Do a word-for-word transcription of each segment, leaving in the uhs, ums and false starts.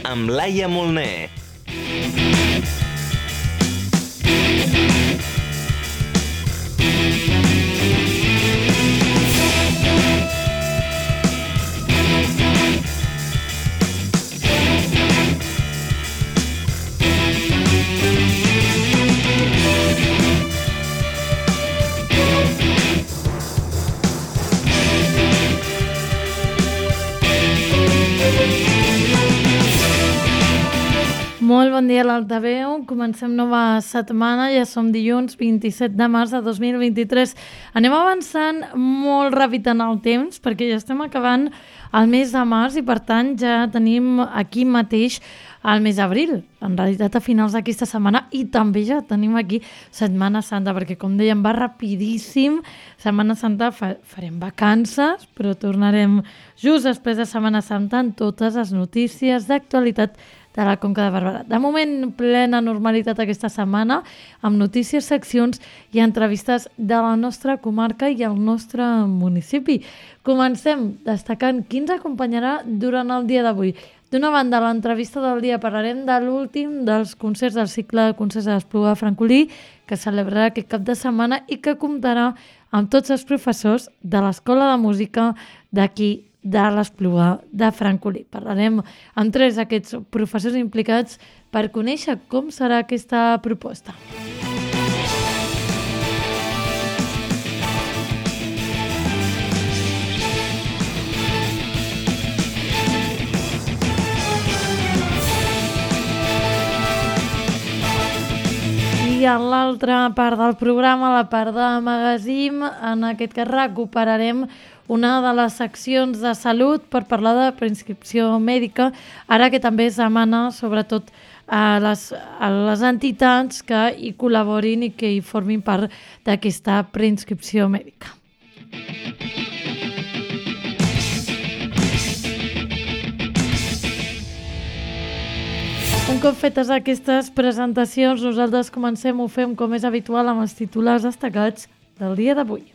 amb Laia Molner. Molt bon dia a l'Altaveu, comencem nova setmana, ja som dilluns vint-i-set de març de dos mil vint-i-tres. Anem avançant molt ràpid en el temps perquè ja estem acabant el mes de març i per tant ja tenim aquí mateix el mes d'abril, en realitat a finals d'aquesta setmana, i també ja tenim aquí Setmana Santa, perquè com dèiem va rapidíssim. Setmana Santa fa, farem vacances, però tornarem just després de Setmana Santa amb totes les notícies d'actualitat de la Conca de Barberà. De moment, plena normalitat aquesta setmana, amb notícies, seccions i entrevistes de la nostra comarca i el nostre municipi. Comencem destacant qui ens acompanyarà durant el dia d'avui. D'una banda, a l'entrevista del dia parlarem de l'últim dels concerts del cicle de concerts de l'Espluga de Francolí, que celebrarà aquest cap de setmana i que comptarà amb tots els professors de l'Escola de Música d'aquí de l'Espluga de Francolí. Parlarem amb tres d'aquests professors implicats per conèixer com serà aquesta proposta. I en l'altra part del programa, la part de magazine, en aquest cas recuperarem una de les seccions de salut per parlar de preinscripció mèdica, ara que també es demana sobretot a les, a les entitats que hi col·laborin i que hi formin part d'aquesta preinscripció mèdica. Un cop fetes aquestes presentacions, nosaltres comencem, ho fem com és habitual amb els titulars destacats del dia d'avui.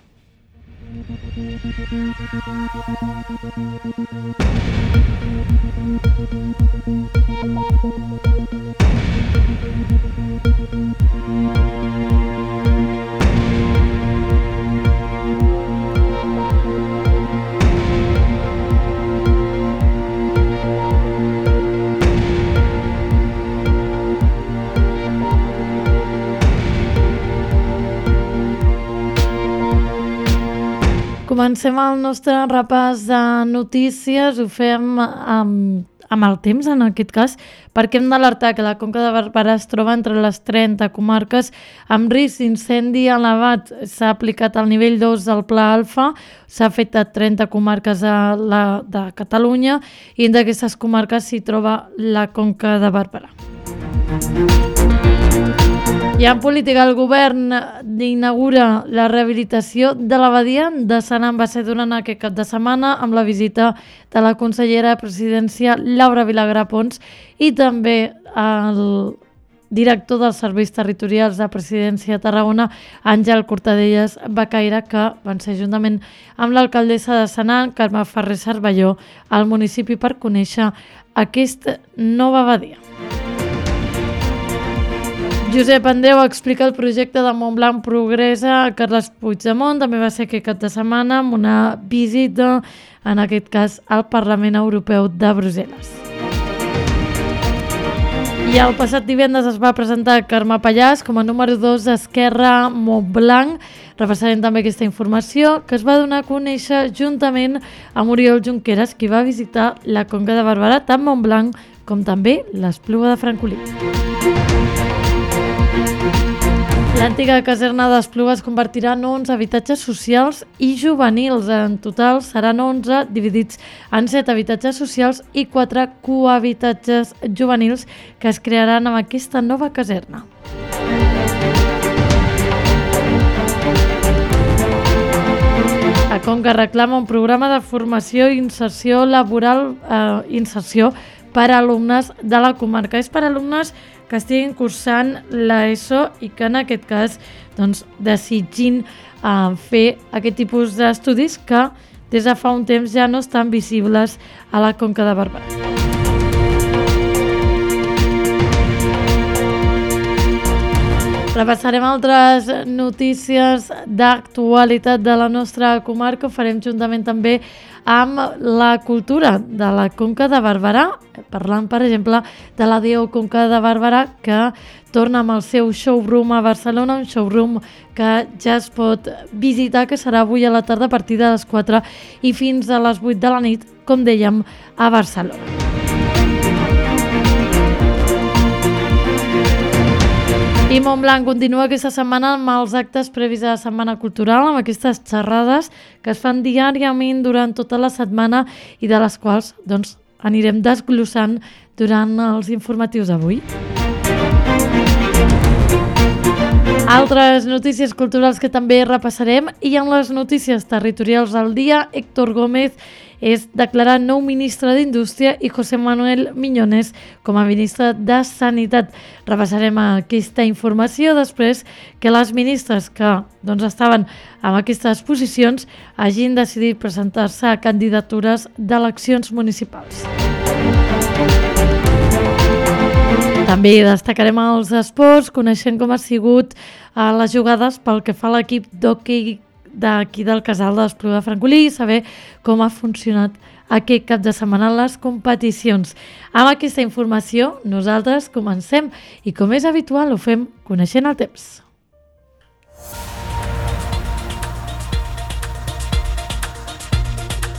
Comencem el nostre repàs de notícies, ho fem amb, amb el temps en aquest cas, perquè hem d'alertar que la Conca de Barberà es troba entre les trenta comarques amb risc d'incendi elevat. S'ha aplicat el nivell dos del Pla Alfa, s'ha fet a trenta comarques de, la, de Catalunya i entre aquestes comarques s'hi troba la Conca de Barberà. I en política, el govern inaugura la rehabilitació de la badia de Sant Ambassé durant aquest cap de setmana amb la visita de la consellera de Presidència Laura Vilagrà Pons i també el director dels serveis territorials de Presidència de Tarragona, Àngel Cortadellas Becaire, que van ser juntament amb l'alcaldessa de Senan, Carme Ferrer Cervelló, al municipi per conèixer aquesta nova badia. Josep Andreu explica el projecte de Montblanc Progressa a Carles Puigdemont. També va ser aquest cap de setmana amb una visita, en aquest cas, al Parlament Europeu de Brussel·les. I el passat divendres es va presentar Carme Pallàs com a número dos d'Esquerra Montblanc. Repassarem també aquesta informació que es va donar a conèixer juntament amb Oriol Junqueras, qui va visitar la Conca de Barberà, tant Montblanc com també l'Espluga de Francolí. L'antiga caserna d'Espluga es convertirà en onze habitatges socials i juvenils. En total seran onze, dividits en set habitatges socials i quatre cohabitatges juvenils que es crearan amb aquesta nova caserna. A Conca reclama un programa de formació i inserció laboral, eh, inserció per a alumnes de la comarca. És per a alumnes que estiguin cursant l'ESO i que en aquest cas doncs, desitgin eh, fer aquest tipus d'estudis que des de fa un temps ja no estan visibles a la Conca de Barberà. Repassarem altres notícies d'actualitat de la nostra comarca. Ho farem juntament també amb la cultura de la Conca de Barberà, parlant, per exemple, de la D O Conca de Barberà, que torna amb el seu showroom a Barcelona, un showroom que ja es pot visitar, que serà avui a la tarda a partir de les quatre i fins a les vuit de la nit, com dèiem, a Barcelona. I Montblanc continua aquesta setmana amb els actes previs a la Setmana Cultural, amb aquestes xerrades que es fan diàriament durant tota la setmana i de les quals doncs, anirem desglossant durant els informatius d'avui. Altres notícies culturals que també repassarem, i en les notícies territorials del dia, Héctor Gómez és declarat nou ministre d'Indústria i José Manuel Miñones com a ministre de Sanitat. Repassarem aquesta informació després que les ministres que doncs, estaven en aquestes posicions hagin decidit presentar-se a candidatures d'eleccions municipals. També destacarem els esports, coneixent com ha sigut eh, les jugades pel que fa a l'equip d'hoquei d'aquí del Casal de l'Espluga de Francolí i saber com ha funcionat aquest cap de setmana les competicions. Amb aquesta informació nosaltres comencem i, com és habitual, ho fem coneixent el temps.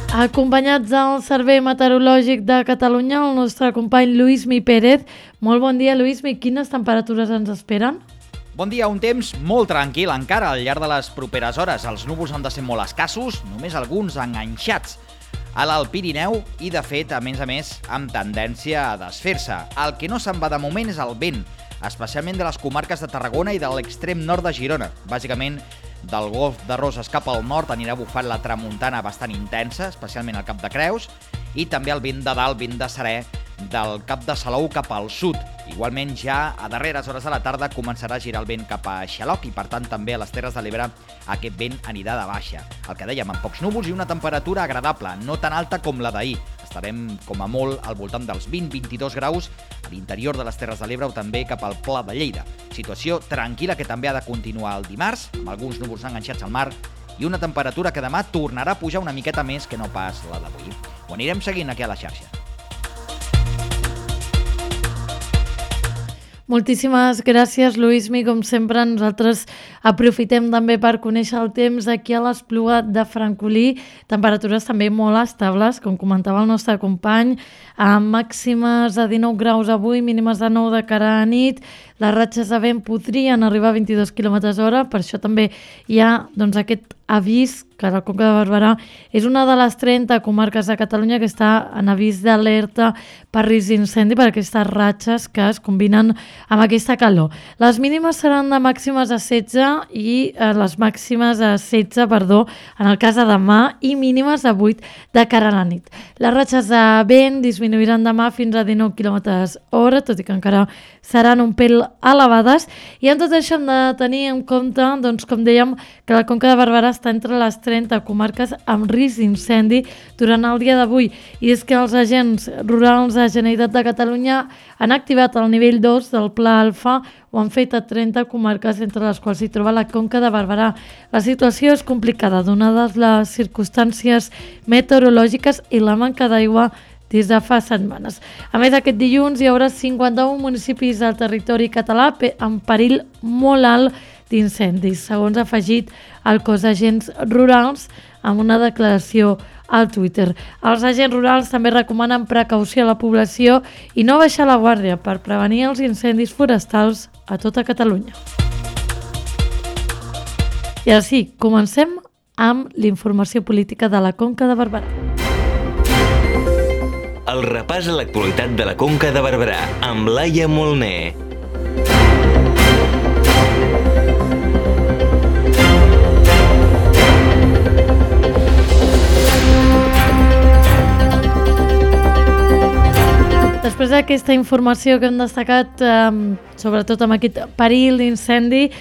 Acompanyats del Servei Meteorològic de Catalunya, el nostre company Lluïsmi Pérez. Molt bon dia, Lluïsmi. Quines temperatures ens esperen? Bon dia, un temps molt tranquil encara al llarg de les properes hores. Els núvols han de ser molt escassos, només alguns enganxats a l'Alt Pirineu i, de fet, a més a més, amb tendència a desfer-se. El que no se'n va de moment és el vent, especialment de les comarques de Tarragona i de l'extrem nord de Girona. Bàsicament, del Golf de Roses cap al nord anirà bufant la tramuntana bastant intensa, especialment al Cap de Creus, i també el vent de dalt, vent de serè, del Cap de Salou cap al sud. Igualment, ja a darreres hores de la tarda començarà a girar el vent cap a Xaloc i, per tant, també a les Terres de l'Ebre aquest vent anirà de baixa. El que dèiem, amb pocs núvols i una temperatura agradable, no tan alta com la d'ahir. Estarem, com a molt, al voltant dels vint a vint-i-dos graus a l'interior de les Terres de l'Ebre o també cap al Pla de Lleida. Situació tranquil·la que també ha de continuar el dimarts, amb alguns núvols enganxats al mar i una temperatura que demà tornarà a pujar una miqueta més que no pas la d'avui. Ho anirem seguint aquí a la xarxa. Moltíssimes gràcies, Lluïsmi. Com sempre, nosaltres aprofitem també per conèixer el temps aquí a l'Espluga de Francolí. Temperatures també molt estables, com comentava el nostre company, amb màximes de dinou graus avui, mínimes de nou de cara a nit. Les ratxes de vent podrien arribar a vint-i-dos quilòmetres hora, per això també hi ha doncs, aquest avís que la Conca de Barberà és una de les trenta comarques de Catalunya que està en avís d'alerta per risc d'incendi per aquestes ratxes que es combinen amb aquesta calor. Les mínimes seran de màximes de setze i eh, les màximes de setze, perdó, en el cas de demà, i mínimes de vuit de cara a la nit. Les ratxes de vent disminuiran demà fins a dinou quilòmetres hora, tot i que encara seran un pèl elevades, i en tot això hem de tenir en compte, doncs, com dèiem, que la Conca de Barberà està entre les trenta comarques amb risc d'incendi durant el dia d'avui, i és que els agents rurals de la Generalitat de Catalunya han activat el nivell dos del Pla Alfa, ho han fet a trenta comarques, entre les quals s'hi troba la Conca de Barberà. La situació és complicada, donades les circumstàncies meteorològiques i la manca d'aigua des de fa setmanes. A més, aquest dilluns hi haurà cinquanta-un municipis del territori català en perill molt alt d'incendis, segons ha afegit el cos d'agents rurals amb una declaració al Twitter. Els agents rurals també recomanen precaució a la població i no baixar la guàrdia per prevenir els incendis forestals a tota Catalunya. I ara sí, comencem amb l'informació política de la Conca de Barberà. El repàs a l'actualitat de la Conca de Barberà amb Laia Molner. Després d'aquesta informació que hem destacat, eh, sobretot amb aquest perill d'incendi,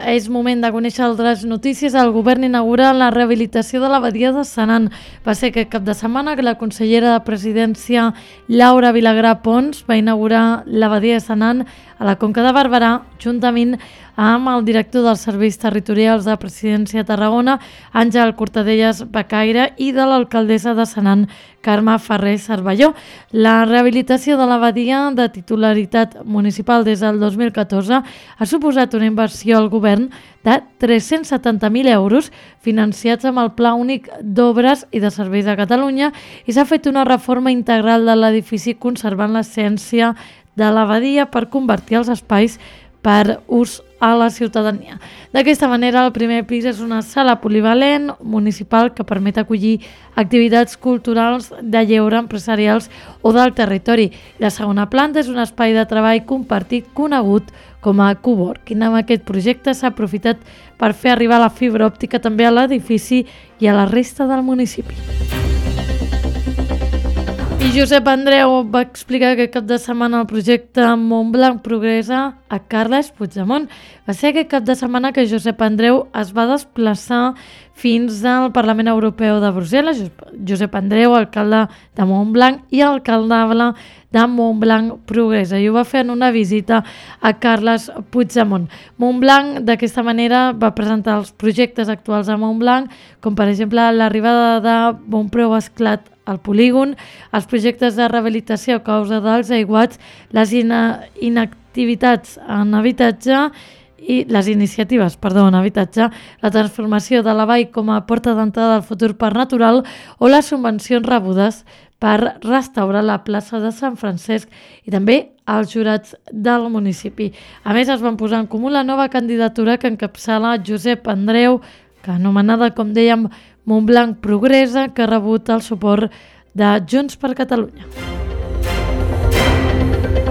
és moment de conèixer altres notícies. El govern inaugura la rehabilitació de la badia de Senan. Va ser aquest cap de setmana que la consellera de Presidència, Laura Vilagrà Pons, va inaugurar la badia de Senan a la Conca de Barberà, juntament amb el director dels Serveis Territorials de Presidència a Tarragona, Àngel Cortadellas Becaire, i de l'alcaldessa de Senan, Carme Ferrer Cervelló. La rehabilitació de la badia, de titularitat municipal des del dos mil catorze, ha suposat una inversió al govern de tres-cents setanta mil euros financiats amb el Pla Únic d'Obres i de Serveis de Catalunya, i s'ha fet una reforma integral de l'edifici conservant l'essència de la badia per convertir els espais per ús a la ciutadania. D'aquesta manera, el primer pis és una sala polivalent municipal que permet acollir activitats culturals, de lleure, empresarials o del territori. La segona planta és un espai de treball compartit conegut com a coworking. Amb aquest projecte s'ha aprofitat per fer arribar la fibra òptica també a l'edifici i a la resta del municipi. I Josep Andreu va explicar que cap de setmana el projecte Montblanc progressa a Carles Puigdemont. Va ser aquest cap de setmana que Josep Andreu es va desplaçar fins al Parlament Europeu de Brussel·les. Josep Andreu, alcalde de Montblanc i alcaldable de Montblanc progressa, i ho va fer en una visita a Carles Puigdemont. Montblanc, d'aquesta manera, va presentar els projectes actuals a Montblanc, com per exemple l'arribada de Bonpreu Esclat al polígon, els projectes de rehabilitació a causa dels aiguats, les ina inactivitats en habitatge i les iniciatives, perdó, en habitatge, la transformació de la vall com a porta d'entrada del futur parc natural o les subvencions rebudes per restaurar la plaça de Sant Francesc i també els jurats del municipi. A més, es van posar en comú la nova candidatura que encapçala Josep Andreu, que anomenada, com dèiem, Montblanc Progressa, que ha rebut el suport de Junts per Catalunya.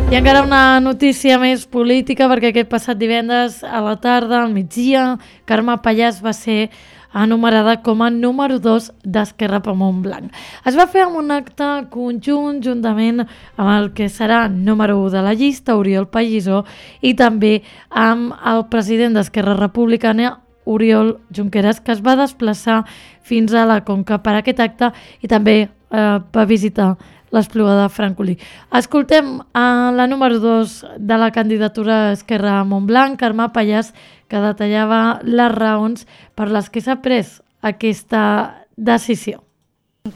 I encara una notícia més política, perquè aquest passat divendres a la tarda, al migdia, Carme Pallàs va ser enumerada com a número dos d'Esquerra per Montblanc. Es va fer amb un acte conjunt juntament amb el que serà número u de la llista, Oriol Pallisó, i també amb el president d'Esquerra Republicana, Oriol Junqueras, que es va desplaçar fins a la Conca per aquest acte i també eh, va visitar l'Espluga de Francolí. Escoltem a la número dos de la candidatura Esquerra Montblanc, Carme Pallàs, que detallava les raons per les que s'ha pres aquesta decisió.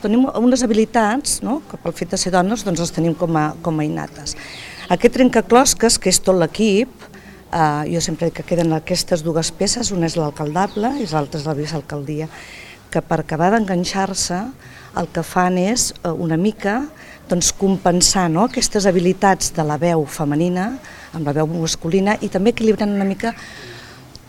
Tenim unes habilitats, no?, que pel fet de ser dones doncs les tenim com a, com a innates. Aquest trencaclosques, que és tot l'equip, Uh, jo sempre dic que queden aquestes dues peces, una és l'alcaldable i l'altra és la vicealcaldia, que per acabar d'enganxar-se el que fan és uh, una mica doncs, compensar, no?, aquestes habilitats de la veu femenina amb la veu masculina i també equilibrant una mica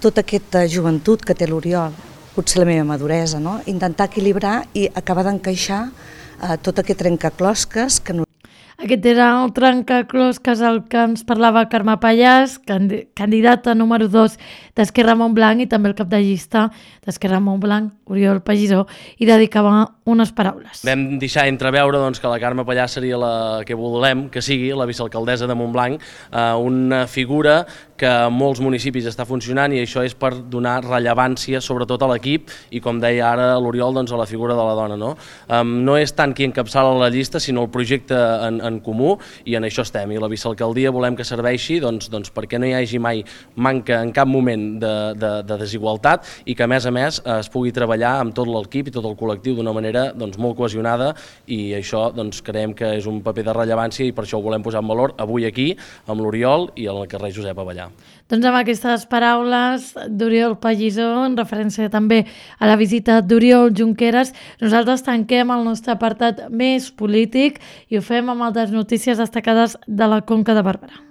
tota aquesta joventut que té l'Oriol, potser la meva maduresa, no?, intentar equilibrar i acabar d'encaixar uh, tot aquest trencaclosques que no. Aquest era el trencaclosques el que ens parlava Carme Pallàs, candidata número dos d'Esquerra Montblanc i també el cap de llista d'Esquerra Montblanc, Oriol Pallisó, i dedicava unes paraules. Vam deixar entreveure doncs, que la Carme Pallàs seria la que volem que sigui, la vicealcaldessa de Montblanc, eh, una figura que en molts municipis està funcionant i això és per donar rellevància sobretot a l'equip i, com deia ara l'Oriol, doncs, a la figura de la dona. No, um, no és tant qui encapçala la llista, sinó el projecte en, en comú, i en això estem. I la vicealcaldia volem que serveixi doncs, doncs, perquè no hi hagi mai manca en cap moment de, de, de desigualtat i que, a més a més, es pugui treballar amb tot l'equip i tot el col·lectiu d'una manera doncs, molt cohesionada, i això doncs, creiem que és un paper de rellevància i per això ho volem posar en valor avui aquí amb l'Oriol i al carrer Josep Avellà. Doncs amb aquestes paraules d'Oriol Pallisó, en referència també a la visita d'Oriol Junqueras, nosaltres tanquem el nostre apartat més polític i ho fem amb altres notícies destacades de la Conca de Barberà.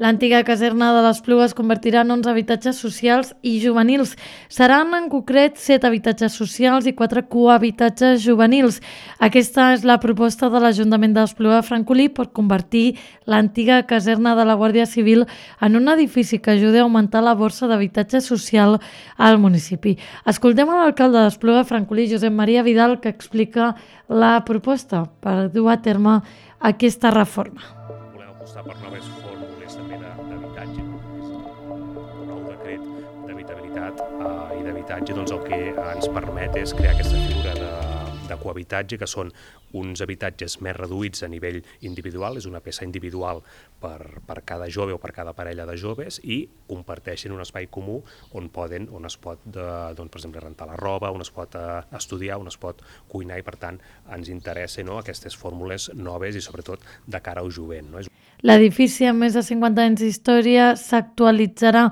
L'antiga caserna de l'Espluga es convertirà en onze habitatges socials i juvenils. Seran en concret set habitatges socials i quatre cohabitatges juvenils. Aquesta és la proposta de l'Ajuntament d'Espluga de Francolí per convertir l'antiga caserna de la Guàrdia Civil en un edifici que ajudi a augmentar la borsa d'habitatge social al municipi. Escoltem a l'alcalde d'Espluga de Francolí, Josep Maria Vidal, que explica la proposta per dur a terme aquesta reforma. Volem apostar per noves fórmules també d'habitatge, no? Un nou decret d'habitabilitat eh, i d'habitatge doncs el que ens permet és crear aquesta figura de, de cohabitatge, que són uns habitatges més reduïts a nivell individual, és una peça individual per, per cada jove o per cada parella de joves, i comparteixen un espai comú on poden, on es pot, de, doncs, per exemple, rentar la roba, on es pot eh, estudiar, on es pot cuinar, i per tant ens interessa, no, aquestes fórmules noves i sobretot de cara al jovent, no? L'edifici, amb més de cinquanta anys d'història, s'actualitzarà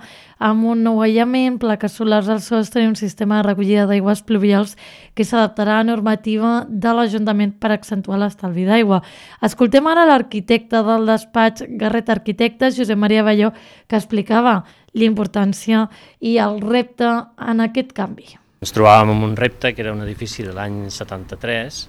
amb un nou aïllament, plaques solars al sostre i un sistema de recollida d'aigües pluvials que s'adaptarà a la normativa de l'Ajuntament per accentuar l'estalvi d'aigua. Escoltem ara l'arquitecte del despatx Garret Arquitectes, Josep Maria Balló, que explicava l'importància i el repte en aquest canvi. Ens trobàvem amb un repte que era un edifici de l'any setanta-tres,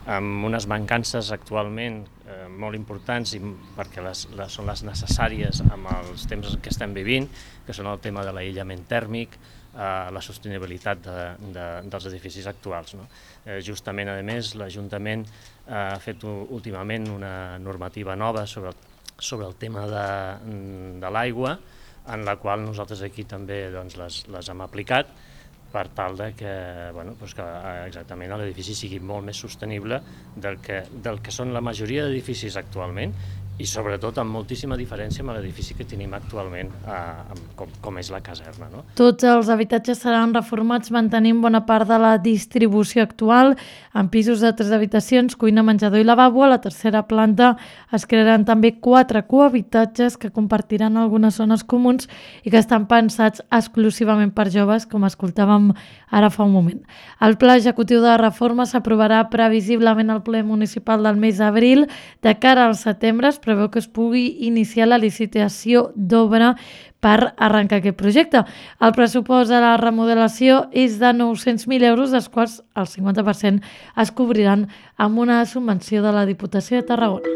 amb unes mancances actualment eh, molt importants i perquè les, les, són les necessàries amb els temps que estem vivint, que són el tema de l'aïllament tèrmic, eh, la sostenibilitat de, de, dels edificis actuals, no? Eh, justament, a més, l'Ajuntament eh, ha fet últimament una normativa nova sobre, sobre el tema de, de l'aigua, en la qual nosaltres aquí també doncs, les, les hem aplicat, per tal de que, bueno, doncs que exactament l'edifici sigui molt més sostenible del que, del que són la majoria d'edificis actualment, i sobretot amb moltíssima diferència amb l'edifici que tenim actualment, eh, com, com és la caserna, no? Tots els habitatges seran reformats mantenint bona part de la distribució actual, amb pisos de tres habitacions, cuina, menjador i lavabo. A la tercera planta es crearan també quatre cohabitatges que compartiran algunes zones comuns i que estan pensats exclusivament per joves, com escoltàvem ara fa un moment. El pla executiu de reforma s'aprovarà previsiblement al ple municipal del mes d'abril. De cara al setembre es preveu que es pugui iniciar la licitació d'obra per arrencar aquest projecte. El pressupost de la remodelació és de nou-cents mil euros, dels quals el cinquanta per cent es cobriran amb una subvenció de la Diputació de Tarragona.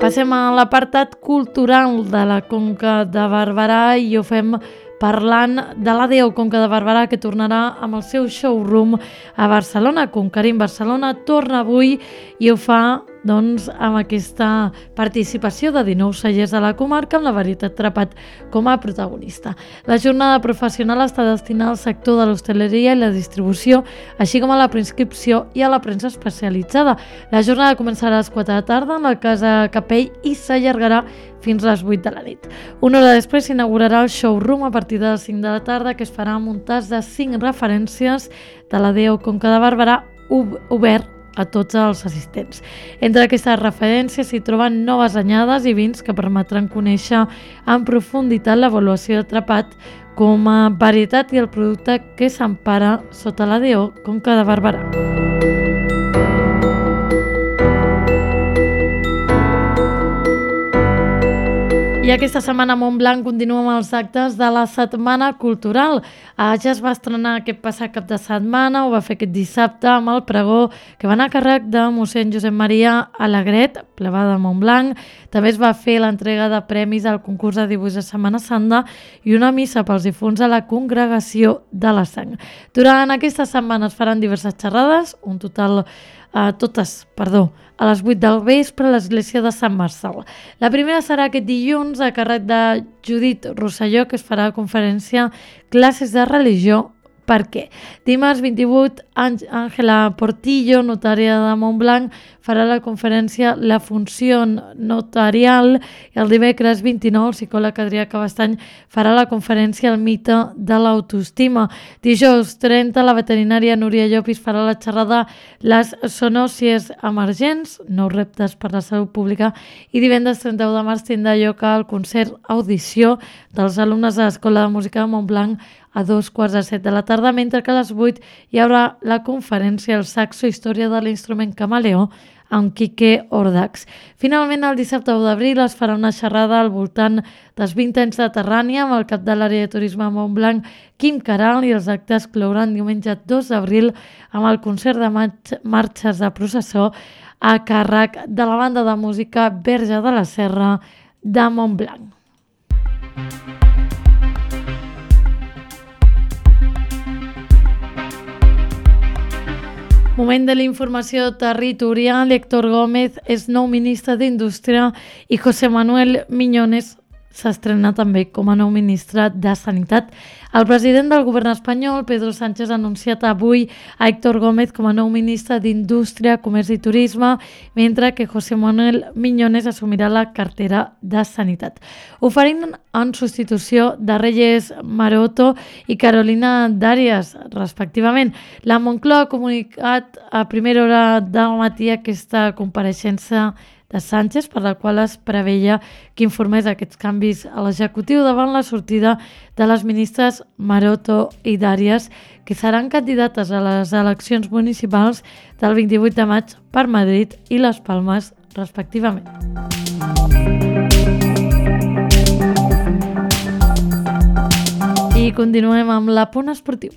Passem a l'apartat cultural de la Conca de Barberà i ho fem parlant de l'A D O Conca de Barberà, que tornarà amb el seu showroom a Barcelona. Conquerim Barcelona torna avui i ho fa doncs, amb aquesta participació de dinou cellers de la comarca, amb la varietat Trepat com a protagonista. La jornada professional està destinada al sector de l'hostaleria i la distribució, així com a la preinscripció i a la premsa especialitzada. La jornada començarà a les quatre de la tarda en la Casa Capell i s'allargarà fins a les vuit de la nit. Una hora després s'inaugurarà el showroom a partir de les cinc de la tarda, que es farà amb un tas de cinc referències de l'A D O Conca de Barberà obert a tots els assistents. Entre aquestes referències s'hi troben noves anyades i vins que permetran conèixer en profunditat l'avaluació de Trepat com a varietat i el producte que s'empara sota l'A D O Conca de Barberà. I aquesta setmana a Montblanc continua amb els actes de la Setmana Cultural. Ja es va estrenar aquest passat cap de setmana, ho va fer aquest dissabte amb el pregó que va anar a càrrec de mossèn Josep Maria Alegret, plebà de Montblanc. També es va fer l'entrega de premis al concurs de dibuix de Setmana Santa i una missa pels difunts a la Congregació de la Sang. Durant aquesta setmana es faran diverses xerrades, un total, eh, totes, perdó, a les vuit del vespre a l'església de Sant Marçal. La primera serà aquest dilluns a càrrec de Judit Rosselló, que es farà a conferència Classes de religió. Per què? Dimarts vint-i-vuit, Àngela Portillo, notària de Montblanc, farà la conferència La funció notarial, i el dimecres vint-i-nou, el psicòleg Adrià Cabestany farà la conferència El mite de l'autoestima. Dijous trenta, la veterinària Núria Llopis farà la xerrada Les zoonòsies emergents, nous reptes per la salut pública, i divendres trenta-u de març tindrà lloc el concert Audició dels alumnes de l'Escola de Música de Montblanc a dos quarts de set de la tarda, mentre que a les vuit hi haurà la conferència El saxo, història de l'instrument camaleó, amb Quique Ordax. Finalment, el dissabte u d'abril es farà una xerrada al voltant dels vint anys de Terrània amb el cap de l'àrea de turisme a Montblanc, Quim Caral, i els actes clouran diumenge dos d'abril amb el concert de marxes de processó a càrrec de la banda de música Verge de la Serra de Montblanc. Moment de la informació territorial. Héctor Gómez és nou ministre d'Indústria i José Manuel Miñones s'estrena també com a nou ministre de Sanitat. El president del govern espanyol, Pedro Sánchez, ha anunciat avui a Héctor Gómez com a nou ministre d'Indústria, Comerç i Turisme, mentre que José Manuel Miñones assumirà la cartera de Sanitat. Oferint en substitució de Reyes Maroto i Carolina Darias, respectivament. La Moncloa ha comunicat a primera hora del matí aquesta compareixença de Sánchez, per la qual es preveia que informés aquests canvis a l'executiu davant la sortida de les ministres Maroto i Darias, que seran candidates a les eleccions municipals del vint-i-vuit de maig per Madrid i Les Palmes, respectivament. I continuem amb l'Apunt Esportiu.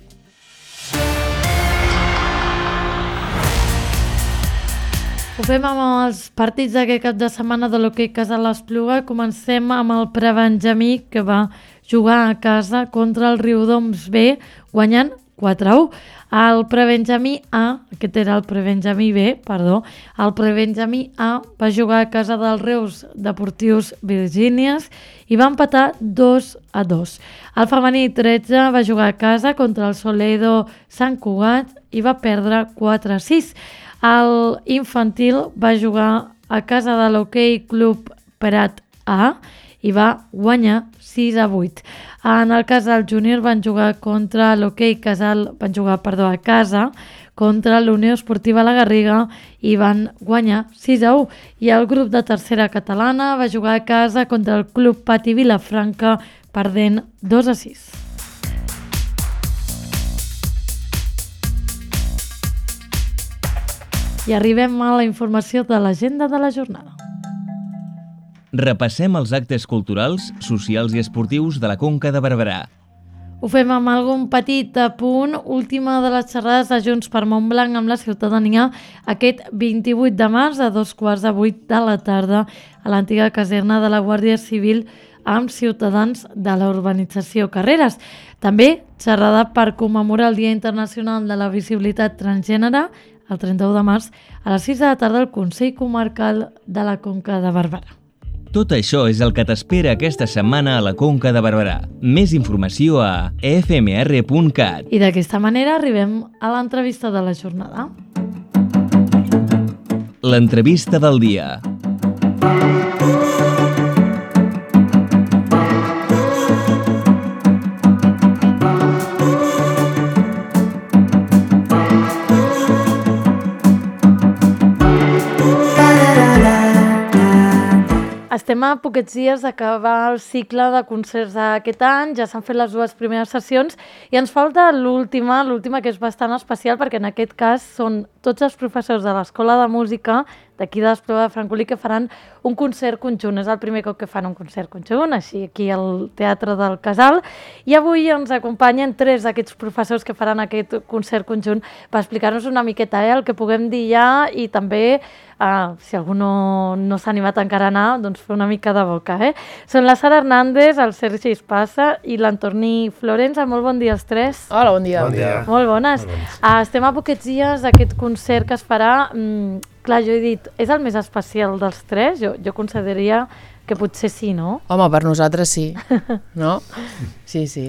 Ho fem amb els partits d'aquest cap de setmana de l'hoquei Casal Espluga. Comencem amb el Prebenjamí, que va jugar a casa contra el Riudoms B, guanyant quatre a u. El Prebenjamí A, aquest era el Prebenjamí B, perdó, el Prebenjamí A va jugar a casa del Reus Deportius Virgínies i va empatar dos a dos. El femení tretze va jugar a casa contra el Soledo Sant Cugat i va perdre quatre a sis. El infantil va jugar a casa de l'Hoquei Club Prat A i va guanyar sis a vuit. En el cas del júnior van jugar contra l'Hoquei Casal, van jugar, perdó, a casa contra l'Unió Esportiva La Garriga i van guanyar sis a u. I el grup de tercera catalana va jugar a casa contra el Club Pati Vilafranca, perdent dos a sis. I arribem a la informació de l'agenda de la jornada. Repassem els actes culturals, socials i esportius de la Conca de Barberà. Ho fem amb algun petit apunt. Última de les xerrades de Junts per Montblanc amb la ciutadania aquest vint-i-vuit de març a dos quarts de vuit de la tarda a l'antiga caserna de la Guàrdia Civil amb ciutadans de la urbanització Carreres. També xerrada per commemorar el Dia Internacional de la Visibilitat Transgènere el trenta-u de març a les sis de la tarda al Consell Comarcal de la Conca de Barberà. Tot això és el que t'espera aquesta setmana a la Conca de Barberà. Més informació a e f m r punt cat. I d'aquesta manera arribem a l'entrevista de la jornada. L'entrevista del dia. Estem a poquets dies d'acabar el cicle de concerts d'aquest any, ja s'han fet les dues primeres sessions i ens falta l'última, l'última que és bastant especial perquè en aquest cas són tots els professors de l'Escola de Música d'aquí de l'Espluga de Francolí que faran un concert conjunt. És el primer cop que fan un concert conjunt, així aquí al Teatre del Casal. I avui ens acompanyen tres d'aquests professors que faran aquest concert conjunt per explicar-nos una miqueta eh, el que puguem dir ja i també, eh, si algú no, no s'ha animat encara a anar, doncs fer una mica de boca. Eh? Són la Sara Hernández, el Sergi Espasa i l'Antorní Florenza. Molt bon dia els tres. Hola, bon dia. Bon dia. Molt bones. Molt bones. Uh, estem a poquets dies d'aquest concert que es farà. Mm, clar, jo he dit, és el més especial dels tres? Jo, jo consideraria que potser sí, no? Home, per nosaltres sí, no? Sí, sí.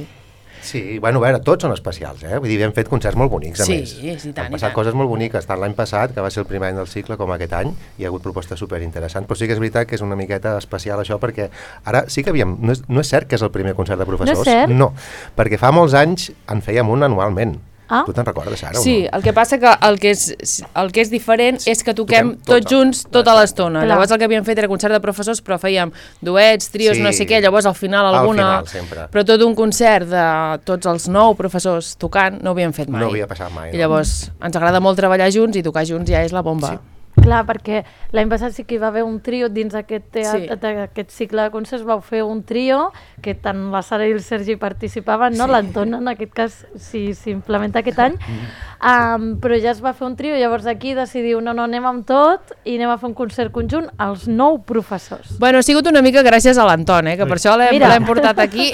Sí, bueno, a veure, tots són especials, eh? Vull dir, hem fet concerts molt bonics, a Sí, més. sí, tant, Han i passat tant. coses molt boniques, tant l'any passat, que va ser el primer any del cicle, com aquest any, hi ha hagut propostes superinteressants, però sí que és veritat que és una miqueta especial això, perquè ara sí que havíem... No és, no és cert que és el primer concert de professors. No és cert? No, perquè fa molts anys en fèiem un anualment. Ah. Tu te'n recordes, Sara? Sí, o no? el que passa que el que és, el que és diferent és que toquem, Toquem tot tots junts el- tota l'estona. Clar. Llavors el que havíem fet era concert de professors, però fèiem duets, trios, Sí. no sé què, llavors al final Al alguna... final, sempre. Però tot un concert de tots els nou professors tocant no ho havíem fet mai. No havia passat mai, I no? llavors ens agrada molt treballar junts i tocar junts ja és la bomba. Sí. Clar, perquè l'any passat sí que hi va haver un trio dins aquest, teatre, sí. aquest cicle de concerts, vau fer un trio que tant la Sara i el Sergi participaven, no? Sí. L'Anton en aquest cas sí, s'implementa aquest any, um, però ja es va fer un trio, llavors aquí decidiu no, no, anem amb tot i anem a fer un concert conjunt als nou professors. Bueno, ha sigut una mica gràcies a l'Anton, eh, que per això l'hem portat aquí,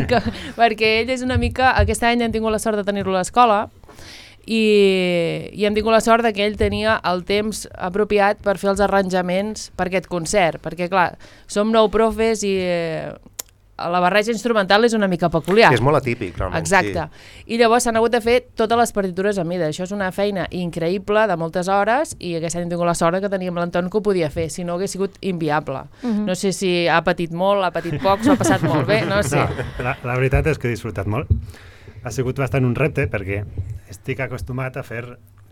que, perquè ell és una mica, aquest any hem tingut la sort de tenir-lo a l'escola, I, i hem tingut la sort que ell tenia el temps apropiat per fer els arranjaments per aquest concert, perquè clar, som nou profes i eh, la barreja instrumental és una mica peculiar. És molt atípic, realment. Exacte. Sí. I llavors s'han hagut de fer totes les partitures a mida. Això és una feina increïble de moltes hores i aquest any hem tingut la sort que teníem l'Anton que ho podia fer, si no hagués sigut inviable. Uh-huh. No sé si ha patit molt, ha patit poc, s'ho ha passat molt bé, no sé. No, la, la veritat és que he disfrutat molt. Ha sigut bastant un repte perquè estic acostumat a fer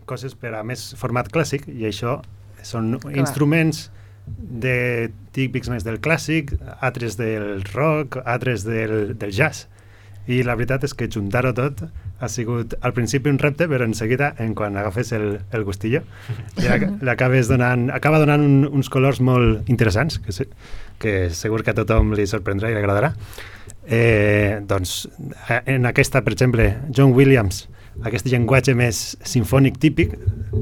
coses per a més format clàssic i això són Clar. instruments de típics més del clàssic, altres del rock, altres del, del jazz. I la veritat és que juntar-ho tot ha sigut al principi un repte, però en seguida, en quan agafes el, el gustillo, ja l'acabes donant, acaba donant un, uns colors molt interessants, que, se, que segur que a tothom li sorprendrà i li agradarà. Eh, doncs en aquesta, per exemple, John Williams, aquest llenguatge més sinfònic típic,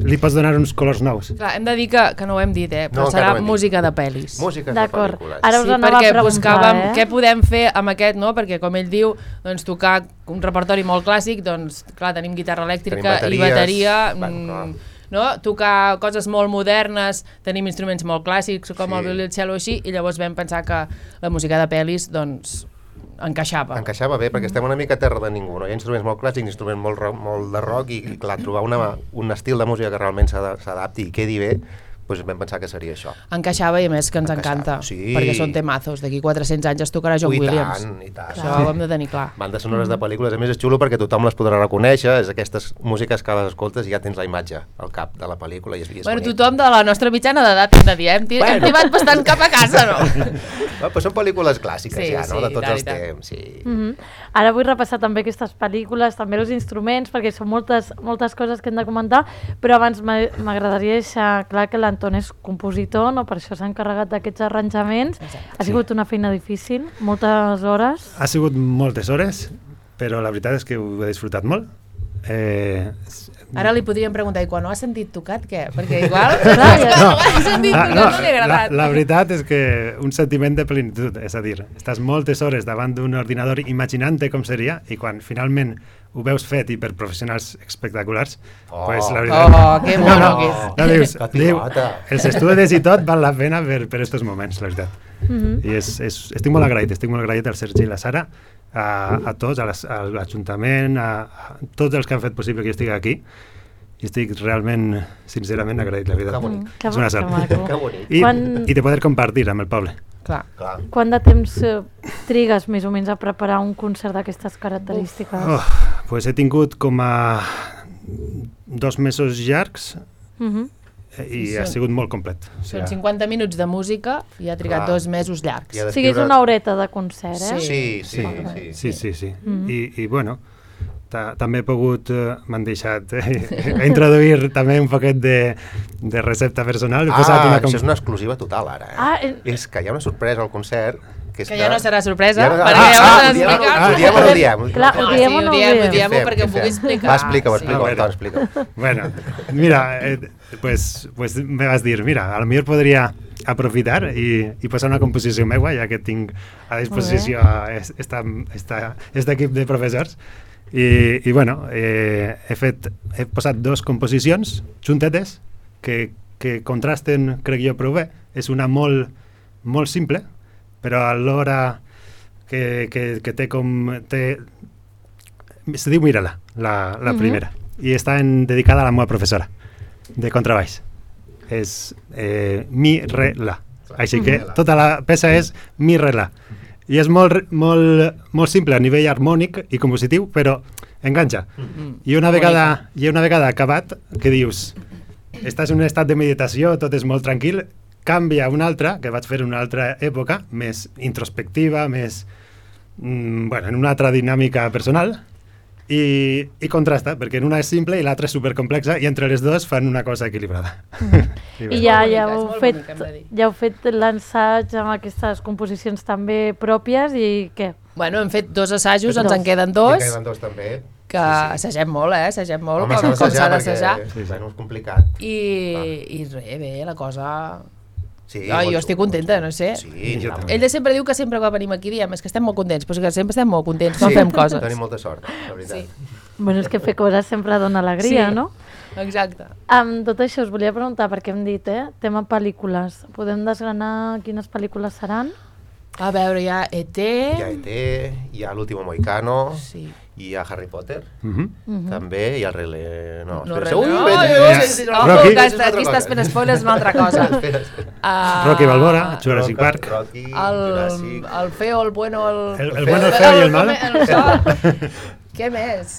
li pots donar uns colors nous. Clar, hem de dir que, que no ho hem dit, eh? Però no, serà no música de pel·lis. Música de pel·lícules. Ara us sí, anava perquè a preguntar, buscàvem eh? què podem fer amb aquest, no? Perquè com ell diu, doncs tocar un repertori molt clàssic, doncs clar, tenim guitarra elèctrica i bateria, bueno, no? Tocar coses molt modernes, tenim instruments molt clàssics com sí. el violí, el cello així, i llavors vam pensar que la música de pel·lis, doncs encaixava. Encaixava bé, perquè estem una mica a terra de ningú, no? Hi ha instruments molt clàssics, instruments molt, rock, molt de rock i, i clar, trobar una, un estil de música que realment s'adapti i quedi bé, doncs vam pensar que seria això. Encaixava i a més que ens Encaixava. encanta, sí. perquè són temazos, d'aquí quatre-cents anys es tocarà John I Williams. Tant, i tant. Això ho hem de tenir clar. Bandes sonores de pel·lícules, a més és xulo perquè tothom les podrà reconèixer, és aquestes músiques que les escoltes i ja tens la imatge al cap de la pel·lícula. I és, i és bueno, bonic. Tothom de la nostra mitjana d'edat hem de dir, hem, bueno. hem tibat bastant cap a casa, no? no però són pel·lícules clàssiques sí, ja, no? Sí, de tots tant, els temps. Sí. Mm-hmm. Ara vull repassar també aquestes pel·lícules, també els instruments, perquè són moltes, moltes coses que hem de comentar, però abans m'agradaria deixar clar que l'Anton és compositor, no? Per això s'ha encarregat d'aquests arranjaments. Exacte. Ha sigut sí. una feina difícil, moltes hores. Ha sigut moltes hores, però la veritat és que ho he disfrutat molt. Eh, Ara li podríem preguntar, i quan ho has sentit tocat, què? Perquè igual, clar, quan no, ho has sentit tocat no, no li ha agradat. La, la veritat és que un sentiment de plenitud, és a dir, estàs moltes hores davant d'un ordinador imaginant-te com seria, i quan finalment ho veus fet i per professionals espectaculars, oh. pues la veritat... Oh, que mono no, que és. No, dius, diu, els estudis i tot val la pena per, per estos moments, la veritat. Mm-hmm. I és, és, estic molt agraït, estic molt agraït al Sergi i la Sara, a, a tots, a l'Ajuntament, a, a tots els que han fet possible que jo estigui aquí, i estic realment, sincerament, agraït, la veritat. Que bonic. Que és una sort. Que bonic. I, Quan... I de poder compartir amb el poble. Clar. Clar. Quant de temps eh, trigues més o menys a preparar un concert d'aquestes característiques? Oh, pues he tingut com a dos mesos llargs uh-huh. eh, i són, ha sigut molt complet. O sigui, són cinquanta minuts de música i ha trigat Clar. dos mesos llargs. O sigui, és una horeta de concert, eh? Sí, sí, sí. sí, sí, sí, sí. Uh-huh. I, i bueno, ta, també he pogut, eh, m'han deixat eh, introduir també un poquet de, de recepta personal. Ah, una com... això és una exclusiva total ara, eh? Ah, eh... És que hi ha una sorpresa al concert que, que ja no serà sorpresa, ja no... perquè ah, ja ah, ho has explicat. Ah, ho diem o no ho diem? Clar, ho diem o no ho diem? Ho diem perquè ho pugui explicar. Va, explica-ho, explica-ho, Ah, bueno. explica-ho. Bueno, mira, eh, pues, pues me vas dir, mira, a lo millor podria aprofitar i, i posar una composició meva, ja que tinc a disposició esta, esta, este equip de professors. I, i bueno, eh, he, fet, he posat dos composicions juntetes que, que contrasten, crec jo, prou bé. És una molt, molt simple, però alhora que, que, que té com... Té, se diu Mira-la, la, la uh-huh. primera, i està en, dedicada a la meva professora de contrabaix. És eh, mi, re, la. Així que tota la peça és mi, re, la. I és molt, molt, molt simple a nivell harmònic i compositiu, però enganxa. Mm-hmm. I una vegada, i una vegada acabat, que dius, estàs en un estat de meditació, tot és molt tranquil, canvia una altra, que vaig fer en una altra època, més introspectiva, més, mm, bueno, en una altra dinàmica personal, i, i contrasta, perquè una és simple i l'altra és supercomplexa i entre les dues fan una cosa equilibrada. Mm. I ja, ja, heu fet, ja heu fet l'ensaig amb aquestes composicions també pròpies i què? Bueno, hem fet dos assajos, ens en queden dos. En queden dos també. Que sí, sí. assagem molt, eh? Assagem molt, Home, com, com s'ha d'assajar. Sí, bueno, és complicat. I, i res, bé, la cosa... Sí, no, jo estic contenta, no sé. Sí, jo Ell de sempre diu que sempre que venim aquí diem és que estem molt contents, però és que sempre estem molt contents quan sí, fem coses. Tenim molta sort, la veritat. Sí. Bueno, és que fer coses sempre dona alegria, sí, no? Exacte. Amb tot això us volia preguntar, perquè hem dit, eh? Tema pel·lícules. Podem desgranar quines pel·lícules seran? A veure, hi ha E T... Hi ha E T, hi ha l'Último Mohicano... Sí. Hi ha Harry Potter, uh-huh. uh-huh. també, hi ha el Rei León... No, no, espera, no, no, no, no, no, aquí estàs fent spoilers una altra cosa. uh, Rocky Balboa, Jurassic Park. Rocky, el, Jurassic... El feo, el bueno, el... El, el bueno, el feo i el malo. Què més?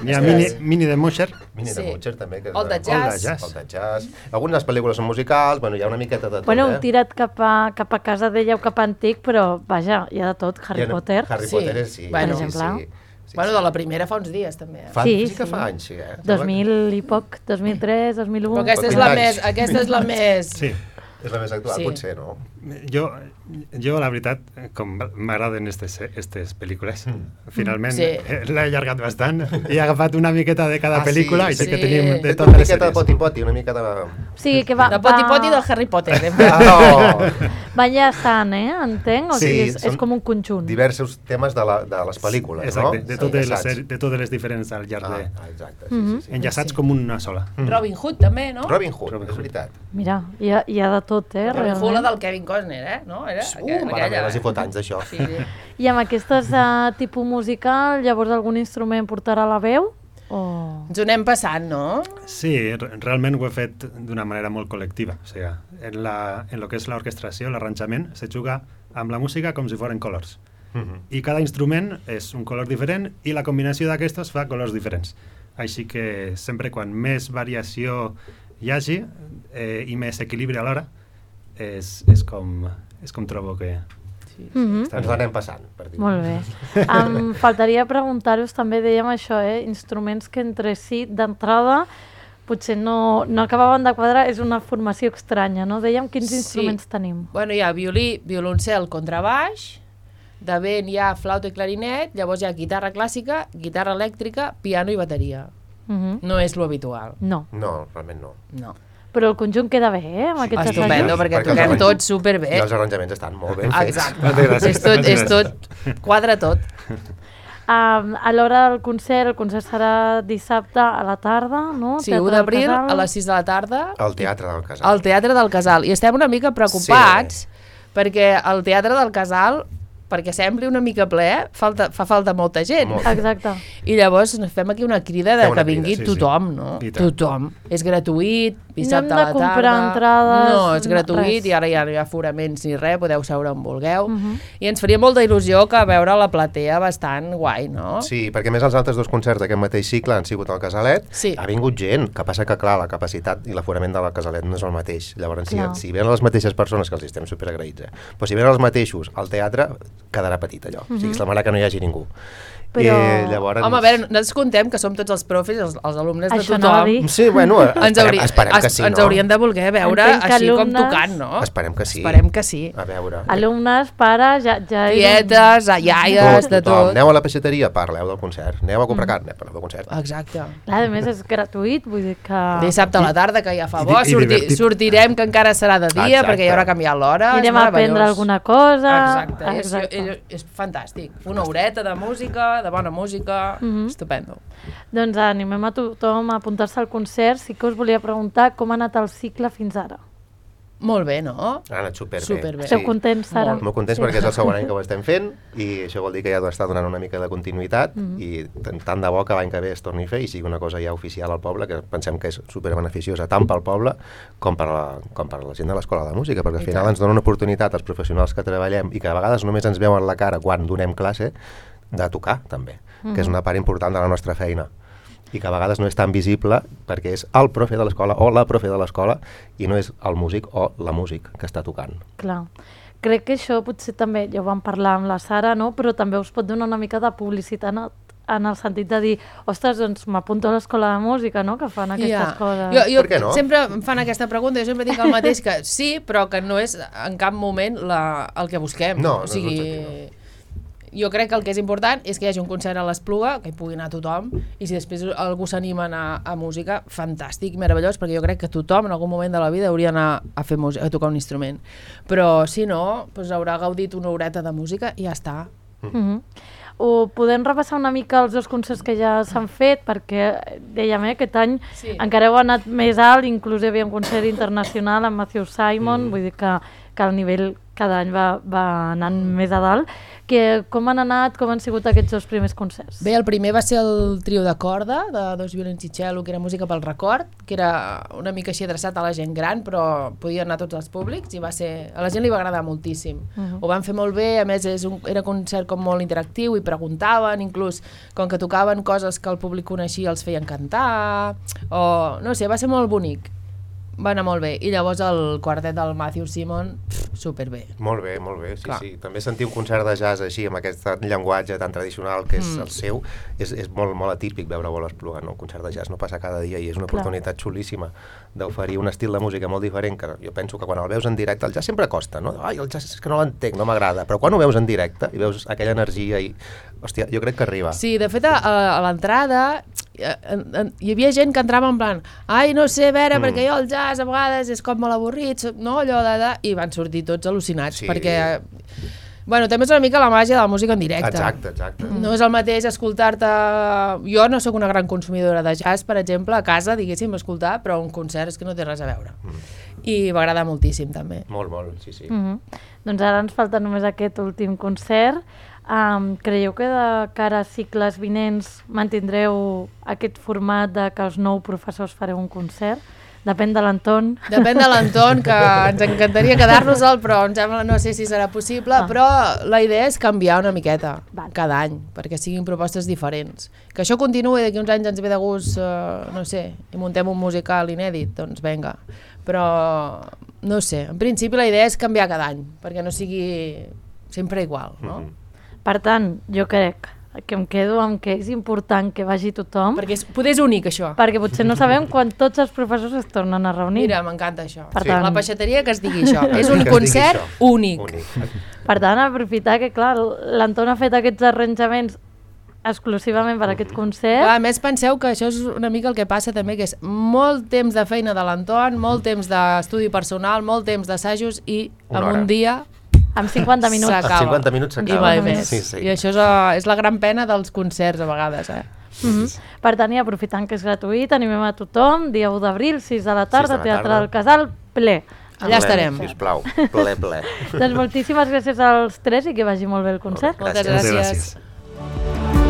Hi ha Mini, Mini de Musher. Mini sí. de Musher, també. Que el de jazz. El de jazz. Algunes pel·lícules són musicals, bueno, hi ha una miqueta de tot, bueno, eh? Bueno, tirat cap a, cap a casa d'ella o cap a antic, però, vaja, hi ha de tot. Harry no, Potter. Harry sí. Potter, sí. Bueno, per exemple. Sí, sí. Sí, bueno, sí. de la primera fa uns dies, també. Eh? Fa, sí, sí que sí. fa anys, sí. Eh? dos mil i poc, dos mil tres, dos mil u... Però aquesta és la més... Aquesta és la més... Sí. És la més actual, sí. Potser, no? Jo, jo, la veritat, com m'agraden aquestes pel·lícules, mm. finalment sí. l'he allargat bastant i he agafat una miqueta de cada ah, pel·lícula sí, i sí, sí que tenim de totes les sèries. Una miqueta de poti-poti, una mica de... Sí, que va... De poti-poti del Harry Potter. Oh. Va enllaçant, eh? Entenc? O sí, sigui, és, és com un conjunt. Diversos temes de, la, de les pel·lícules, exacte, no? de totes, sí, les sèries, de totes les diferents al llarg ah, de... Exacte, sí, mm-hmm. sí, sí. Enllaçats sí. com una sola. Mm. Robin Hood, també, no? Robin Hood, Robin Hood. És veritat. Mira, hi ha, hi ha de tot, eh? Robin realment. Hood, la del Kevin Costner, eh? No? Era uh, mare meva, si fot anys d'això. Sí, sí. I amb aquestes uh, tipus musical, llavors algun instrument portarà la veu? O... Ens ho anem passant, no? Sí, realment ho he fet d'una manera molt col·lectiva. O sigui, en, la, en lo que és l'orquestració, l'arranjament, se juga amb la música com si foren colors. Uh-huh. I cada instrument és un color diferent i la combinació d'aquestos fa colors diferents. Així que sempre quan més variació hi hagi eh, i més equilibri alhora, és, és, com, és com trobo que... Sí, sí. Mm-hmm. Ens l'anem passant, per dir. Molt bé. Em faltaria preguntar-vos, també dèiem això, eh? Instruments que entre si, d'entrada, potser no, no acabaven de quadrar, és una formació estranya, no? Dèiem quins sí. instruments tenim. Bueno, hi ha violí, violoncel, contrabaix, de vent hi ha flauta i clarinet, llavors hi ha guitarra clàssica, guitarra elèctrica, piano i bateria. Mm-hmm. No és lo habitual. No. No, realment no. No. Però el conjunt queda bé, eh, amb aquests assajos. Estupendo, perquè, perquè toquem tots superbé. I els arranjaments estan molt ben fets. Exacte. és, tot, és tot, quadra tot. Um, a l'hora del concert, el concert serà dissabte a la tarda, no? Sí, u d'abril a les sis de la tarda. Al Teatre del Casal. Al Teatre del Casal. I estem una mica preocupats sí. perquè al Teatre del Casal, perquè sembli una mica ple, falta, fa falta molta gent. Molt. Exacte. I llavors fem aquí una crida de una que vingui crida, sí, tothom, sí. no? Tothom. És gratuït, dissabte no a la tarda. No hem de comprar entrades. No, és gratuït res. i ara ja no hi ha aforaments ni res, podeu seure on vulgueu. Uh Mhm. -huh. I ens faria molta il·lusió que veure la platea bastant guai, no? Sí, perquè més els altres dos concerts d'aquest mateix cicle han sigut al Casalet. Sí. Ha vingut gent, que passa que, clar, la capacitat i l'aforament de la Casalet no és el mateix. Llavors, si, Clar. si venen les mateixes persones, que els estem superagraïts, eh? Però si venen els mateixos al teatre, quedarà petit allò. Mhm. O sigui, semblarà que no hi hagi ningú. Però... I llavors... Home, a veure, nosaltres contem que som tots els profes, els, els alumnes de Això tothom. anava a dir. Sí, bueno, esperem, ens hauria, esperem que es, sí, ens no? haurien de voler veure Entenc que així com alumnes- tocant, no? Esperem que sí. Esperem que sí. A veure. Alumnes, pares, ja... ja Tietes, iaies, de Tothom. tot. Aneu a la peixateria, parleu del concert. Aneu a comprar carn, parleu del concert. Exacte. Clar, a més és gratuït, vull dir que... Dissabte a la tarda, que ja fa bo, I- i sorti, divertit. sortirem, que encara serà de dia, Exacte. perquè ja haurà canviat l'hora. Anirem és a aprendre meravellós. alguna cosa. Exacte, Exacte. És, és, és fantàstic. Una horeta de música, de bona música, Mhm. estupendo. Doncs animem a tothom a apuntar-se al concert. Sí que us volia preguntar com ha anat el cicle fins ara. Molt bé, no? Ha anat superbé. Superbé. Esteu contents, Sara? Molt contents Sí. perquè és el segon any que ho estem fent i això vol dir que ja està donant una mica de continuïtat Mhm. i tant- tant de bo que l'any que ve es torni a fer i sigui una cosa ja oficial al poble, que pensem que és superbeneficiosa tant pel poble com per la, com per la gent de l'Escola de Música, perquè al I final tant. ens dona una oportunitat als professionals que treballem i que a vegades només ens veuen la cara quan donem classe, de tocar també, Mhm. que és una part important de la nostra feina i que a vegades no és tan visible perquè és el profe de l'escola o la profe de l'escola i no és el músic o la músic que està tocant. Clar. Crec que això potser també, ja ho vam parlar amb la Sara, no? Però també us pot donar una mica de publicitat en el sentit de dir, ostres, doncs m'apunto a l'escola de música, no?, que fan aquestes Ja. coses. Jo, jo Per què no? sempre em fan aquesta pregunta, jo sempre dic el mateix, que sí, però que no és en cap moment la, el que busquem. No, no o és sigui, l'objectiu, jo crec que el que és important és que hi hagi un concert a l'Espluga, que hi pugui anar tothom, i si després algú s'anima a anar a música, fantàstic, meravellós, perquè jo crec que tothom en algun moment de la vida hauria d'anar a fer música, a tocar un instrument. Però si no, doncs haurà gaudit una horeta de música i ja està. Mm-hmm. O podem repassar una mica els dos concerts que ja s'han fet, perquè dèiem, eh, aquest any Sí. encara heu anat més alt, inclús hi havia un concert internacional amb Matthew Simon, Mm. vull dir que, que el nivell cada any va, va anant més a dalt. Que, com han anat, com han sigut aquests dos primers concerts? Bé, el primer va ser el trio de corda, de Dos violins i cello, que era música pel record, que era una mica així adreçat a la gent gran, però podia anar a tots els públics, i va ser... a la gent li va agradar moltíssim. Uh-huh. Ho van fer molt bé, a més és un, era un concert com molt interactiu, i preguntaven, inclús, com que tocaven coses que el públic coneixia, els feien cantar, o... no sé, va ser molt bonic. Va anar molt bé. I llavors el quartet del Matthew Simon, pff, superbé. Molt bé, molt bé, sí, Clar. sí. També sentir un concert de jazz així, amb aquest llenguatge tan tradicional que és Mm. el seu, és, és molt, molt atípic veure-ho a l'Espluga, no? Un concert de jazz no passa cada dia i és una Clar. oportunitat xulíssima d'oferir un estil de música molt diferent, que jo penso que quan el veus en directe, el jazz sempre costa, no? Ai, el jazz és que no l'entenc, no m'agrada, però quan ho veus en directe i veus aquella energia i... Hòstia, jo crec que arriba. Sí, de fet, a, a l'entrada eh, en- en- hi havia gent que entrava en plan ai, no sé, a veure, Mm. perquè jo el jazz a vegades és com molt avorrit, so- no, allò de, de... i van sortir tots al·lucinats, Sí. perquè bueno, també és una mica la màgia de la música en directe. Exacte, exacte. No és el mateix escoltar-te... Jo no sóc una gran consumidora de jazz, per exemple, a casa, diguéssim, escoltar, però un concert és que no té res a veure. Mm. I m'agrada moltíssim, també. Molt, molt, sí, sí. Mm-hmm. Doncs ara ens falta només aquest últim concert. Um, creieu que de cara a cicles vinents mantindreu aquest format de que els nou professors fareu un concert? Depèn de l'Anton. Depèn de l'Anton, que ens encantaria quedar-nos-el, però em sembla, no sé si serà possible, Ah. però la idea és canviar una miqueta Val. cada any, perquè siguin propostes diferents. Que això continuï, d'aquí uns anys ens ve de gust, eh, no sé, i muntem un musical inèdit, doncs vinga. Però, no sé, en principi la idea és canviar cada any, perquè no sigui sempre igual, no? Mhm. Per tant, jo crec que em quedo amb que és important que vagi tothom, Perquè és, poder és únic, això. perquè potser no sabem quan tots els professors es tornen a reunir. Mira, m'encanta això. Per Sí. tant- La peixateria que es digui això. Que És es un digui concert això. únic. Únic. Per tant, aprofitar que, clar, l'Anton ha fet aquests arranjaments exclusivament per aquest concert. A més, penseu que això és una mica el que passa també, que és molt temps de feina de l'Anton, molt temps d'estudi personal, molt temps d'assajos i Una en hora. un dia Amb cinquanta minuts. s'acaba. A cinquanta minuts I s'acaba. mai més. Sí, sí. I això és, uh, és la gran pena dels concerts a vegades, eh? Mm-hmm. Per tant, i aprofitant que és gratuït, animem a tothom, dia u d'abril, sis de la tarda, sis de la Teatre tarda. del Casal, ple. Allà estarem. Sisplau, ple, ple. Doncs moltíssimes gràcies als tres i que vagi molt bé el concert. Molt Moltes Gràcies. gràcies. gràcies.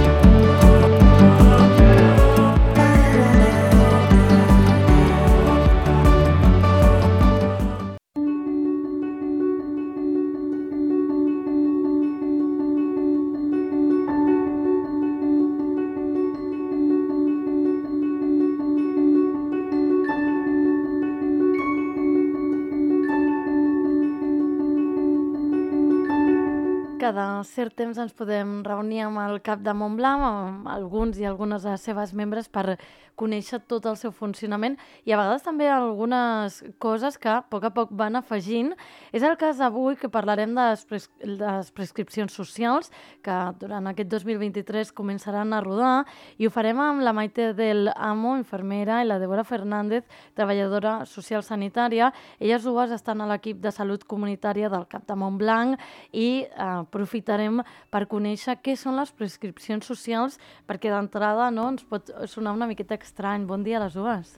Cada cert temps ens podem reunir amb el cap de Montblanc, amb alguns i algunes de les seves membres per conèixer tot el seu funcionament i a vegades també algunes coses que a poc a poc van afegint. És el cas avui que parlarem de les, pres de les prescripcions socials que durant aquest dos mil vint-i-tres començaran a rodar i ho farem amb la Maite del Amo, infermera, i la Débora Fernández, treballadora social sanitària. Elles dues estan a l'equip de salut comunitària del Cap de Montblanc i eh, aprofitarem per conèixer què són les prescripcions socials, perquè d'entrada no, ens pot sonar una miqueta estrany. Bon dia a les dues.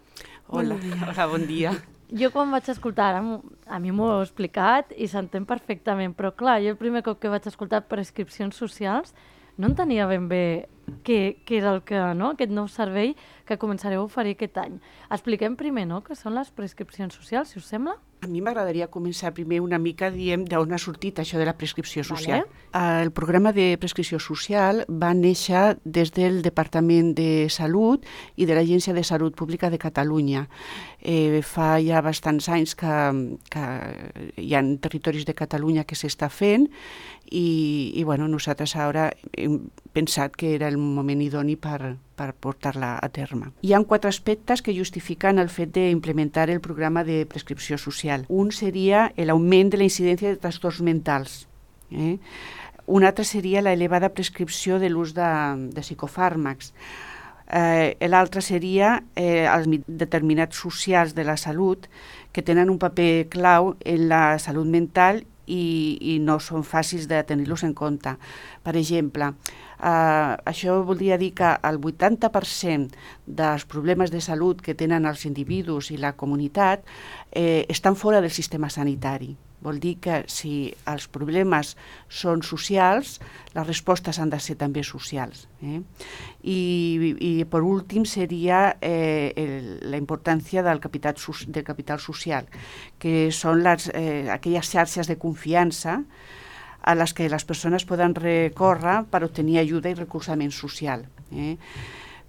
Hola, hola, bon dia. Jo quan vaig escoltar, ara m'ho- a mi m'ho heu explicat i s'entén perfectament, però clar, jo el primer cop que vaig escoltar prescripcions socials no entenia ben bé què, què era el que, no? Aquest nou servei que començareu a oferir aquest any. Expliquem primer, no?, què són les prescripcions socials, si us sembla. A mi m'agradaria començar primer una mica, diem, d'on ha sortit això de la prescripció social. Vale. El programa de prescripció social va néixer des del Departament de Salut i de l'Agència de Salut Pública de Catalunya. Eh, fa ja bastants anys que, que hi ha territoris de Catalunya que s'està fent i, i bueno, nosaltres ara hem pensat que era el moment idoni per, per portar-la a terme. Hi ha quatre aspectes que justifiquen el fet d'implementar el programa de prescripció social. Un seria l'augment de la incidència de trastorns mentals. Eh? Un altre seria l'elevada prescripció de l'ús de, de psicofàrmacs. Eh, L'altre seria eh, els determinats socials de la salut que tenen un paper clau en la salut mental i, i no són fàcils de tenir-los en compte. Per exemple, eh, això voldria dir que el vuitanta per cent dels problemes de salut que tenen els individus i la comunitat eh, estan fora del sistema sanitari. Vol dir que si els problemes són socials, les respostes han de ser també socials. Eh? I, i per últim seria eh, el, la importància del capital, del capital social, que són les, eh, aquelles xarxes de confiança a les que les persones poden recórrer per obtenir ajuda i recolzament social. Eh?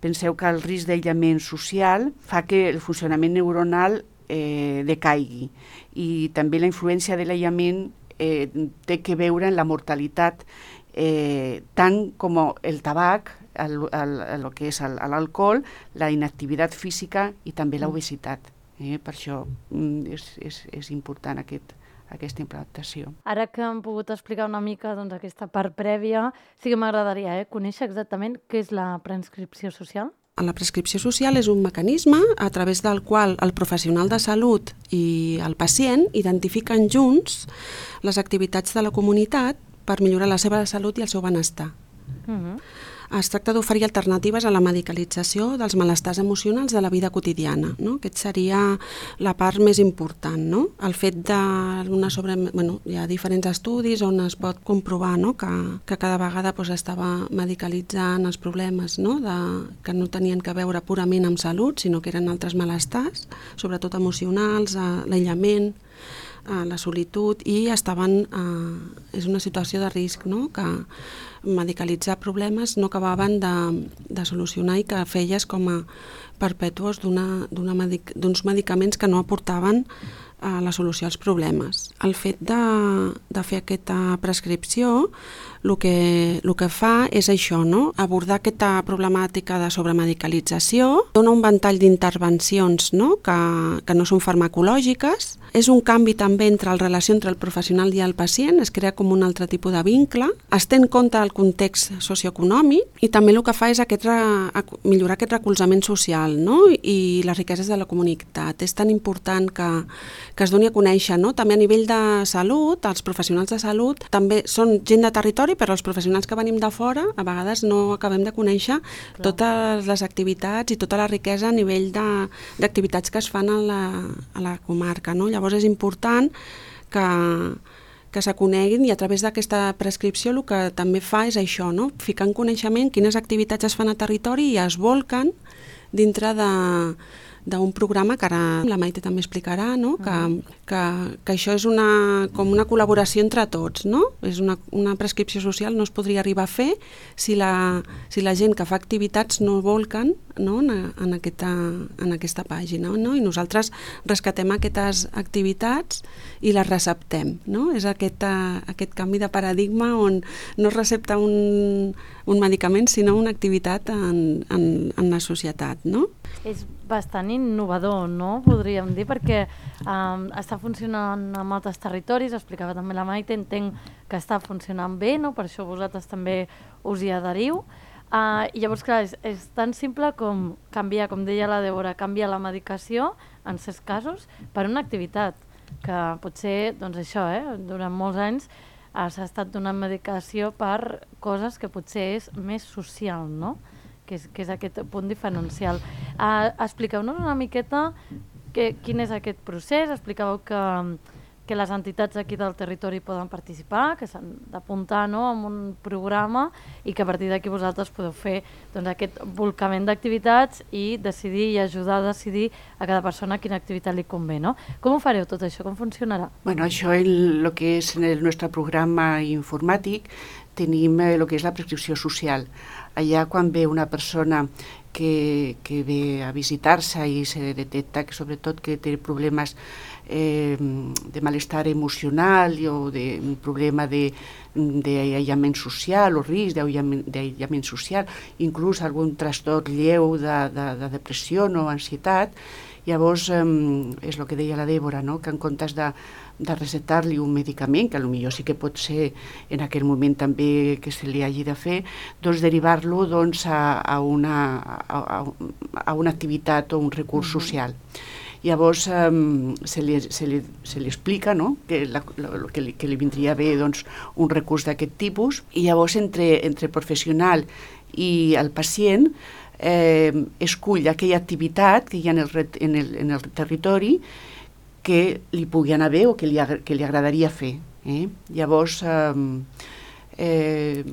Penseu que el risc d'aïllament social fa que el funcionament neuronal eh, decaigui i també la influència de l'aïllament eh, té que veure en la mortalitat eh, tant com el tabac, el, el, el que és l'alcohol, la inactivitat física i també l'obesitat. Eh? Per això mm, és, és, és important aquest, aquesta implantació. Ara que hem pogut explicar una mica doncs, aquesta part prèvia, sí que m'agradaria eh, conèixer exactament què és la prescripció social. La prescripció social és un mecanisme a través del qual el professional de salut i el pacient identifiquen junts les activitats de la comunitat per millorar la seva salut i el seu benestar. Uh-huh. Es tracta d'oferir alternatives a la medicalització dels malestars emocionals de la vida quotidiana. No? Aquest seria la part més important. No? El fet de sobre... bueno, hi ha diferents estudis on es pot comprovar no? Que, que cada vegada pues, estava medicalitzant els problemes no? De, que no tenien que veure purament amb salut, sinó que eren altres malestars, sobretot emocionals, l'aïllament, la solitud, i estaven... Eh, és una situació de risc, no? Que medicalitzar problemes no acabaven de, de solucionar i que feies com a perpètuos d'uns medic, medicaments que no aportaven a la solució als problemes. El fet de, de fer aquesta prescripció el que, el que fa és això, no? Abordar aquesta problemàtica de sobremedicalització, dona un ventall d'intervencions no? Que, que no són farmacològiques, és un canvi també entre la relació entre el professional i el pacient, es crea com un altre tipus de vincle, es té en compte el context socioeconòmic i també el que fa és aquest, millorar aquest recolzament social no? I les riqueses de la comunitat. És tan important que, que es doni a conèixer, no? També a nivell de salut, els professionals de salut també són gent de territori, però els professionals que venim de fora a vegades no acabem de conèixer Clar. Totes les activitats i tota la riquesa a nivell d'activitats que es fan a la, a la comarca. No? Llavors és important que, que se coneguin i a través d'aquesta prescripció el que també fa és això, no? Ficar en coneixement quines activitats es fan a territori i es volquen dintre de d'un programa que ara la Maite també explicarà, no? que, que, que això és una, com una col·laboració entre tots. No? És una, una prescripció social no es podria arribar a fer si la, si la gent que fa activitats no volquen no? en, en, aquesta, en aquesta pàgina. No? I nosaltres rescatem aquestes activitats i les receptem. No? És aquest, aquest canvi de paradigma on no es recepta un, un medicament sinó una activitat en, en, en la societat. No? És bastant innovador, no? Podríem dir, perquè um, està funcionant a altres territoris, explicava també la Maite, entenc que està funcionant bé, no? Per això vosaltres també us hi adheriu. Uh, I llavors, clar, és, és tan simple com canviar, com deia la Débora, canviar la medicació, en certs casos, per una activitat, que potser, doncs això, eh, durant molts anys s'ha estat donant medicació per coses que potser és més social, no? Que és, que és aquest punt diferencial. Uh, Expliqueu-nos una miqueta que, quin és aquest procés. Explicàveu que que les entitats aquí del territori poden participar, que s'han d'apuntar, no?, en un programa i que a partir d'aquí vosaltres podeu fer doncs, aquest volcament d'activitats i decidir i ajudar a decidir a cada persona quina activitat li convé, no? Com ho fareu tot això? Com funcionarà? Bueno, això en el que és en el nostre programa informàtic tenim el que és la prescripció social. Allà quan ve una persona que, que ve a visitar-se i se detecta que sobretot que té problemes eh, de malestar emocional o de un problema d'aïllament social o risc d'aïllament social, inclús algun trastorn lleu de, de, de depressió o ansietat, llavors eh, és el que deia la Dèbora, no? Que en comptes de de recetar-li un medicament, que potser sí que pot ser en aquell moment també que se li hagi de fer, doncs derivar-lo doncs, a, a, una, a, a una activitat o un recurs uh-huh. social. Llavors um, se, li, se, li, se li explica, no?, que, la, la, que, li, que li vindria bé doncs, un recurs d'aquest tipus, i llavors entre, entre el professional i el pacient eh, escull aquella activitat que hi ha en el, en el, en el territori que li pugui anar bé o que li, que li agradaria fer. Eh? Llavors, eh, eh,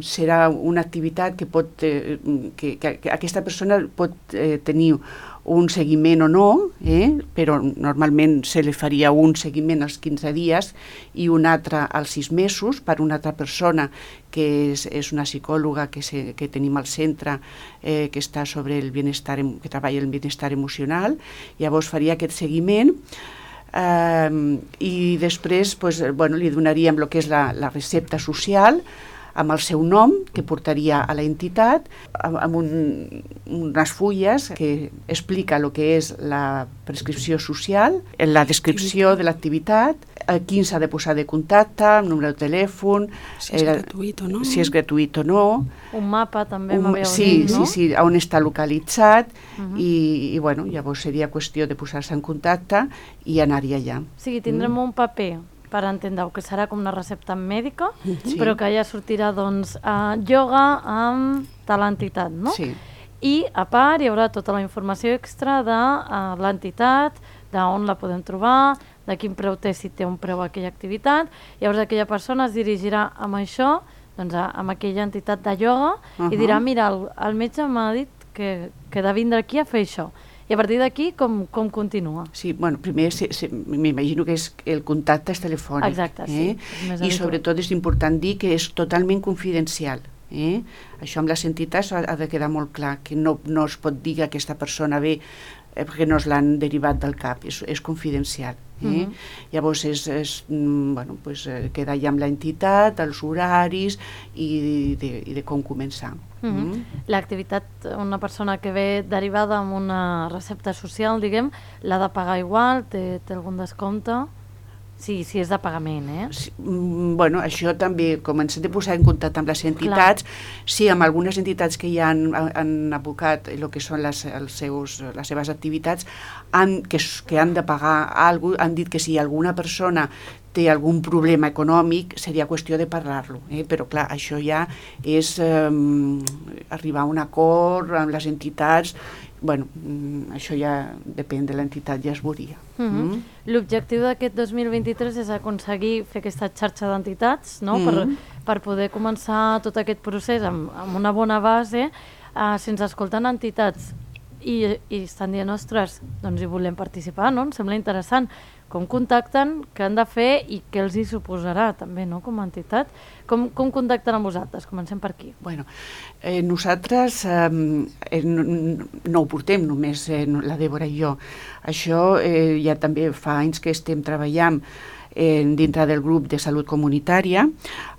serà una activitat que pot, eh, que, que, que aquesta persona pot eh, tenir un seguiment o no, eh? Però normalment se li faria un seguiment als quinze dies i un altre als sis mesos per una altra persona que és, és una psicòloga que, se, que tenim al centre eh, que està sobre el benestar, que treballa el benestar emocional. Llavors faria aquest seguiment eh, i després pues, bueno, li donaríem el que és la, la recepta social amb el seu nom, que portaria a la entitat, amb un, unes fulles que explica el que és la prescripció social, la descripció de l'activitat, qui s'ha de posar de contacte, el número de telèfon, si és eh, gratuït o no. Si és gratuït o no. Un mapa també un, m'haveu sí, dit, no? Sí, sí, on està localitzat uh-huh. i, i bueno, llavors seria qüestió de posar-se en contacte i anar-hi allà. O sigui, tindrem mm. un paper per entendre que serà com una recepta mèdica, sí. però que allà sortirà doncs, uh, ioga amb tal entitat, no? Sí. I a part hi haurà tota la informació extra de uh, l'entitat, d'on la podem trobar, de quin preu té, si té un preu aquella activitat. Llavors aquella persona es dirigirà amb això, doncs, a, amb aquella entitat de ioga, uh-huh. i dirà, mira, el, el metge m'ha dit que, que he de vindre aquí a fer això. I a partir d'aquí, com, com continua? Sí, bueno, primer m'imagino que és, el contacte és telefònic. Exacte, sí. Eh? I sobretot és important dir que és totalment confidencial. Eh? Això amb les entitats ha, ha de quedar molt clar, que no, no es pot dir que aquesta persona ve eh, perquè no es l'han derivat del cap, és, és confidencial. Eh? Uh-huh. Llavors és, és, bueno, pues, eh, queda ja amb l'entitat, els horaris i de, i de com començar. Uh-huh. Mm. L'activitat, una persona que ve derivada amb una recepta social, diguem, l'ha de pagar igual, té, té algun descompte? Sí, sí, és de pagament, eh? Sí, bueno, això també, com ens hem de posar en contacte amb les entitats, clar. Sí, amb algunes entitats que ja han, han abocat el que són les, els seus, les seves activitats, han, que, que han de pagar alguna cosa, han dit que si alguna persona té algun problema econòmic, seria qüestió de parlar-lo, eh? Però clar, això ja és eh, arribar a un acord amb les entitats. Bueno, això ja depèn de l'entitat, ja es veuria. Mm-hmm. Mm. L'objectiu d'aquest dos mil vint-i-tres és aconseguir fer aquesta xarxa d'entitats, no? Mm-hmm. per, per poder començar tot aquest procés amb, amb una bona base, eh, sense escoltar entitats i, i estan dient, ostres, doncs hi volem participar, no? Em sembla interessant com contacten, què han de fer i què els hi suposarà també, no?, com a entitat. Com, com contacten amb vosaltres? Comencem per aquí. Bueno, eh, nosaltres eh, no, no ho portem només eh, la Dèbora i jo. Això eh, ja també fa anys que estem treballant eh, dintre del grup de salut comunitària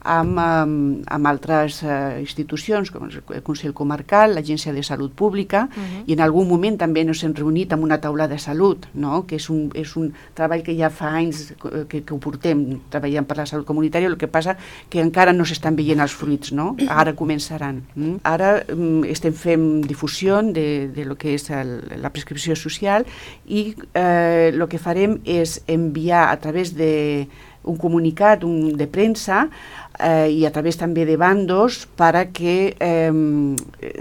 amb, amb, amb altres eh, institucions com el Consell Comarcal, l'Agència de Salut Pública, uh-huh. i en algun moment també ens hem reunit amb una taula de salut, no? Que és un, és un treball que ja fa anys que, que ho portem treballant per la salut comunitària, el que passa que encara no s'estan veient els fruits, no? Ara començaran. Mm? Ara mm, estem fent difusió de, de lo que és el, la prescripció social i eh, el que farem és enviar a través de un comunicat un, de premsa eh, i a través també de bandos para que eh,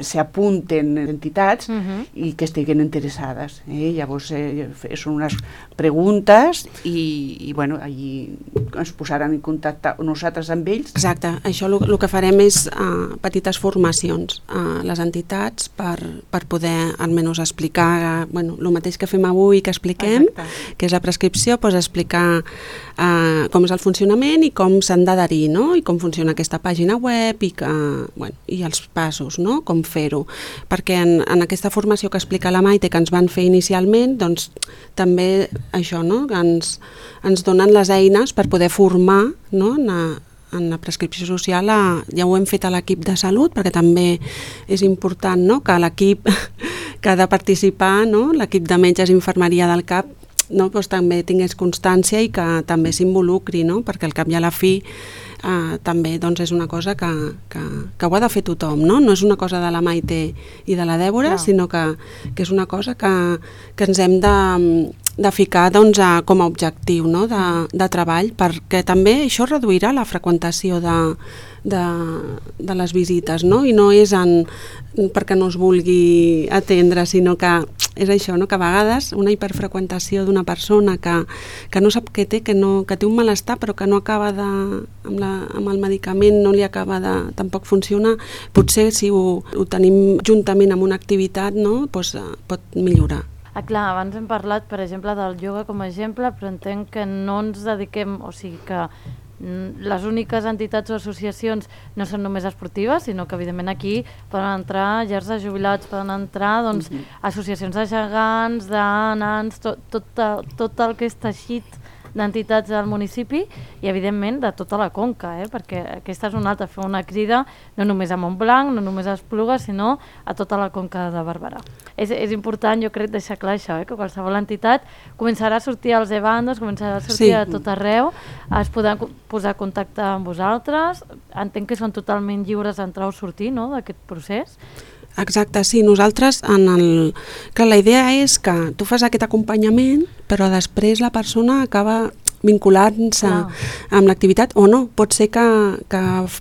se apunten entitats uh-huh. i que estiguen interessades. Eh? Llavors eh, són unes preguntes i, i bueno, allí ens posaran en contacte nosaltres amb ells. Exacte, això el que farem és uh, petites formacions a les entitats per, per poder almenys explicar bueno, el mateix que fem avui que expliquem, exacte. Que és la prescripció, doncs explicar uh, com és el funcionament i com s'han d'adherir, no? I com funciona aquesta pàgina web i, que, bueno, i els passos, no? Com fer-ho. Perquè en, en aquesta formació que explica la Maite que ens van fer inicialment, doncs també això, no? Ens, ens donen les eines per poder formar, no? En, a, en la prescripció social, a, ja ho hem fet a l'equip de salut, perquè també és important, no? Que l'equip que ha de participar, no? L'equip de metges i infermeria del C A P, no? Doncs també tingués constància i que també s'involucri, no? Perquè al cap i a la fi Uh, també doncs, és una cosa que, que, que ho ha de fer tothom, no? No és una cosa de la Maite i de la Dèbora, no. Sinó que, que és una cosa que, que ens hem de, de ficar doncs, a, com a objectiu, no? de, de treball, perquè també això reduirà la freqüentació de, de, de les visites, no? I no és en, perquè no es vulgui atendre, sinó que és això, no? Que a vegades una hiperfreqüentació d'una persona que, que no sap què té, que, no, que té un malestar però que no acaba de, amb, la, amb el medicament no li acaba de tampoc funcionar, potser si ho, ho tenim juntament amb una activitat, no? Pues, uh, pot millorar. Ah, clar, abans hem parlat, per exemple, del ioga com a exemple, però entenc que no ens dediquem, o sigui que les úniques entitats o associacions no són només esportives, sinó que evidentment aquí poden entrar llars de jubilats, poden entrar doncs, uh-huh. associacions de gegants, de nans, tot, tot, tot el que és teixit d'entitats del municipi i evidentment de tota la conca, eh? Perquè aquesta és una altra, fer una crida no només a Montblanc, no només a Esplugues, sinó a tota la conca de Barberà. És, és important, jo crec, deixar clar això, eh? Que qualsevol entitat començarà a sortir als e-bandos, començarà a sortir sí. a tot arreu, es podran posar en contacte amb vosaltres, entenc que són totalment lliures d'entrar o sortir, no?, d'aquest procés. Exacte, sí, nosaltres en el... que la idea és que tu fas aquest acompanyament però després la persona acaba vinculant-se ah. amb l'activitat o no, pot ser que, que,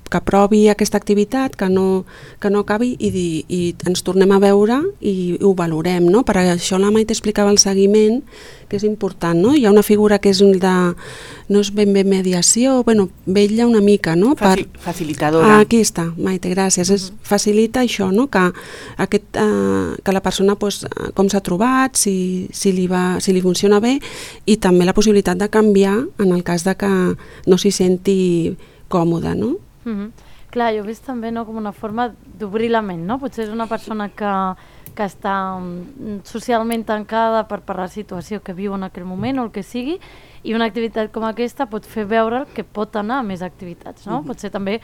que provi aquesta activitat, que no, que no acabi i, i ens tornem a veure i ho valorem, no? Per això la Maite explicava el seguiment, que és important, no? Hi ha una figura que és de, no és ben bé mediació, bueno, vetlla una mica, no? Facil, per... Facilitadora. Ah, aquí està, Maite, gràcies. Mm-hmm. Es facilita això, no? Que, aquest, uh, que la persona, pues, com s'ha trobat, si, si, li va, si li funciona bé, i també la possibilitat de canviar en el cas de que no s'hi senti còmode, no? Mm-hmm. Clar, jo he vist també, no, com una forma d'obrir la ment, no? Potser és una persona que, que està socialment tancada per, per la situació que viu en aquell moment o el que sigui, i una activitat com aquesta pot fer veure que pot anar a més activitats, no? Mm-hmm. Pot ser també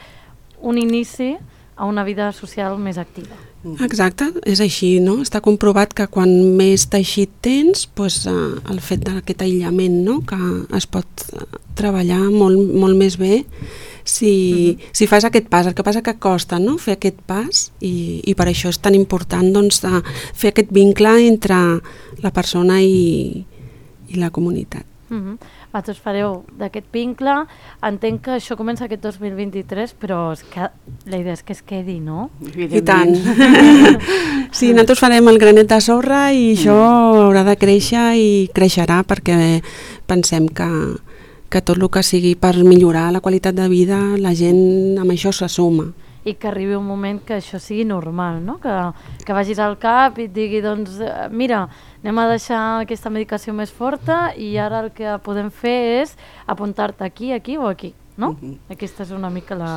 un inici a una vida social més activa. Exacte, és així, no? Està comprovat que quan més teixit tens, doncs, eh, el fet d'aquest aïllament, no? Que es pot treballar molt, molt més bé si, mm-hmm. si fas aquest pas. El que passa que costa, no?, fer aquest pas i, i per això és tan important, doncs, fer aquest vincle entre la persona i, i la comunitat. Mm-hmm. Vosaltres fareu d'aquest vincle, entenc que això comença aquest dos mil vint-i-tres, però és que la idea és que es quedi, no? I tant. Sí, nosaltres farem el granet de sorra i això haurà de créixer i creixerà perquè pensem que, que tot el que sigui per millorar la qualitat de vida, la gent amb això s'assuma. I que arribi un moment que això sigui normal, no? Que, que vagis al cap i et digui, doncs, mira, anem a deixar aquesta medicació més forta i ara el que podem fer és apuntar-te aquí, aquí o aquí, no? Uh-huh. Aquesta és una mica la...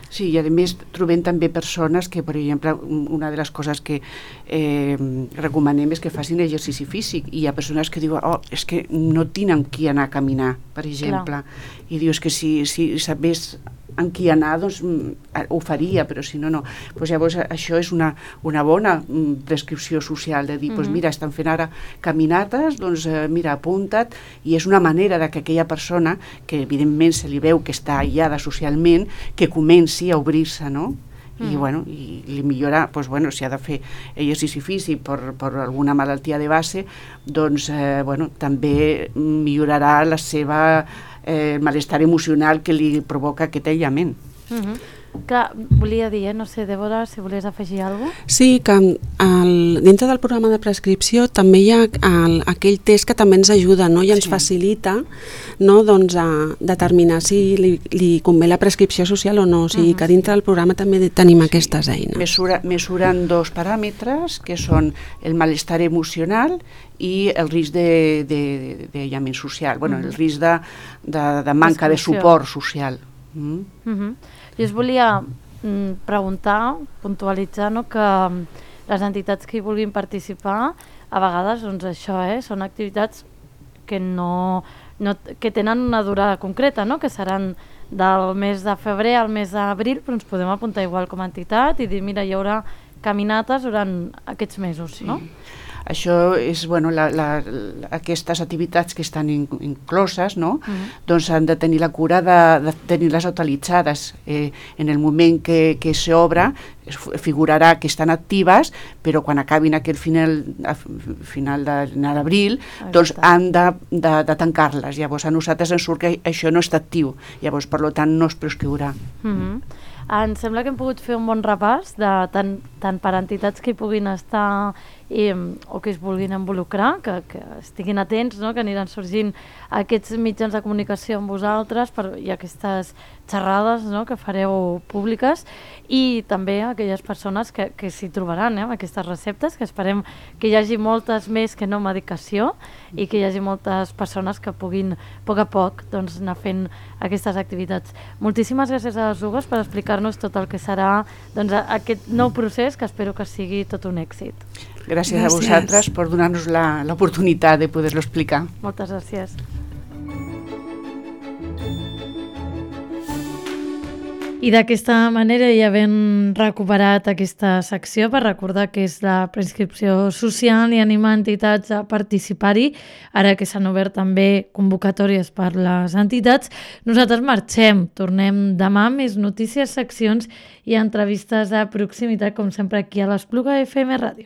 Sí, i a més trobem també persones que, per exemple, una de les coses que eh, recomanem és que facin exercici físic, i hi ha persones que diuen, oh, és que no tinc amb qui anar a caminar, per exemple. Clar. I dius que si, si sabés amb qui anar, doncs ho faria, però si no, no. Pues llavors això és una, una bona prescripció social, de dir, mm-hmm. pues mira, estan fent ara caminates, doncs eh, mira, apunta't, i és una manera de que aquella persona, que evidentment se li veu que està aïllada socialment, que comenci a obrir-se, no? I, mm. bueno, i li millora, doncs, bueno, si ha de fer exercici físic per, per alguna malaltia de base, doncs eh, bueno, també millorarà la seva eh, el malestar emocional que li provoca aquest aïllament. Uh-huh. Clar, volia dir, eh? no sé, Débora, si volies afegir alguna cosa? Sí, que el, dintre del programa de prescripció també hi ha el, aquell test que també ens ajuda, no? I ens sí. facilita, no? doncs, a determinar si li, li convé la prescripció social o no. O sigui, uh-huh. que dintre del programa també tenim sí. aquestes eines. Mesura, mesuren dos paràmetres, que són el malestar emocional i el risc d'aïllament social, bueno, uh-huh. el risc de, de, de manca de suport social. Mm. Uh-huh. Jo us volia mm, preguntar, puntualitzar, no, que les entitats que hi vulguin participar, a vegades doncs, això eh, són activitats que, no, no, que tenen una durada concreta, no? Que seran del mes de febrer al mes d'abril, però ens podem apuntar igual com a entitat i dir, mira, hi haurà caminates durant aquests mesos, sí. no? Això és, bueno, la, la, la, aquestes activitats que estan in, incloses, no? Uh-huh. Doncs han de tenir la cura de, de tenir-les utilitzades. Eh, en el moment que, que s'obre, figurarà que estan actives, però quan acabin aquest final, a final d'abril, doncs han de, de, de tancar-les. Llavors a nosaltres ens surt que això no està actiu, llavors per tant no es prescriurà. Uh-huh. Em sembla que hem pogut fer un bon repàs de tant, tant per entitats que hi puguin estar i, o que es vulguin involucrar, que, que estiguin atents, no? Que aniran sorgint aquests mitjans de comunicació amb vosaltres per, i aquestes xerrades, no? Que fareu públiques, i també aquelles persones que, que s'hi trobaran eh? Aquestes receptes, que esperem que hi hagi moltes més que no medicació i que hi hagi moltes persones que puguin a poc a poc doncs, anar fent aquestes activitats. Moltíssimes gràcies a les dues per explicar-nos tot el que serà doncs, aquest nou procés, que espero que sigui tot un èxit. Gràcies, gràcies. a vosaltres per donar-nos l'oportunitat de poder-lo explicar. Moltes gràcies. I d'aquesta manera ja havent recuperat aquesta secció per recordar que és la prescripció social i animar entitats a participar-hi, ara que s'han obert també convocatòries per les entitats, nosaltres marxem, tornem demà amb més notícies, seccions i entrevistes de proximitat, com sempre aquí a l'Espluga F M Ràdio.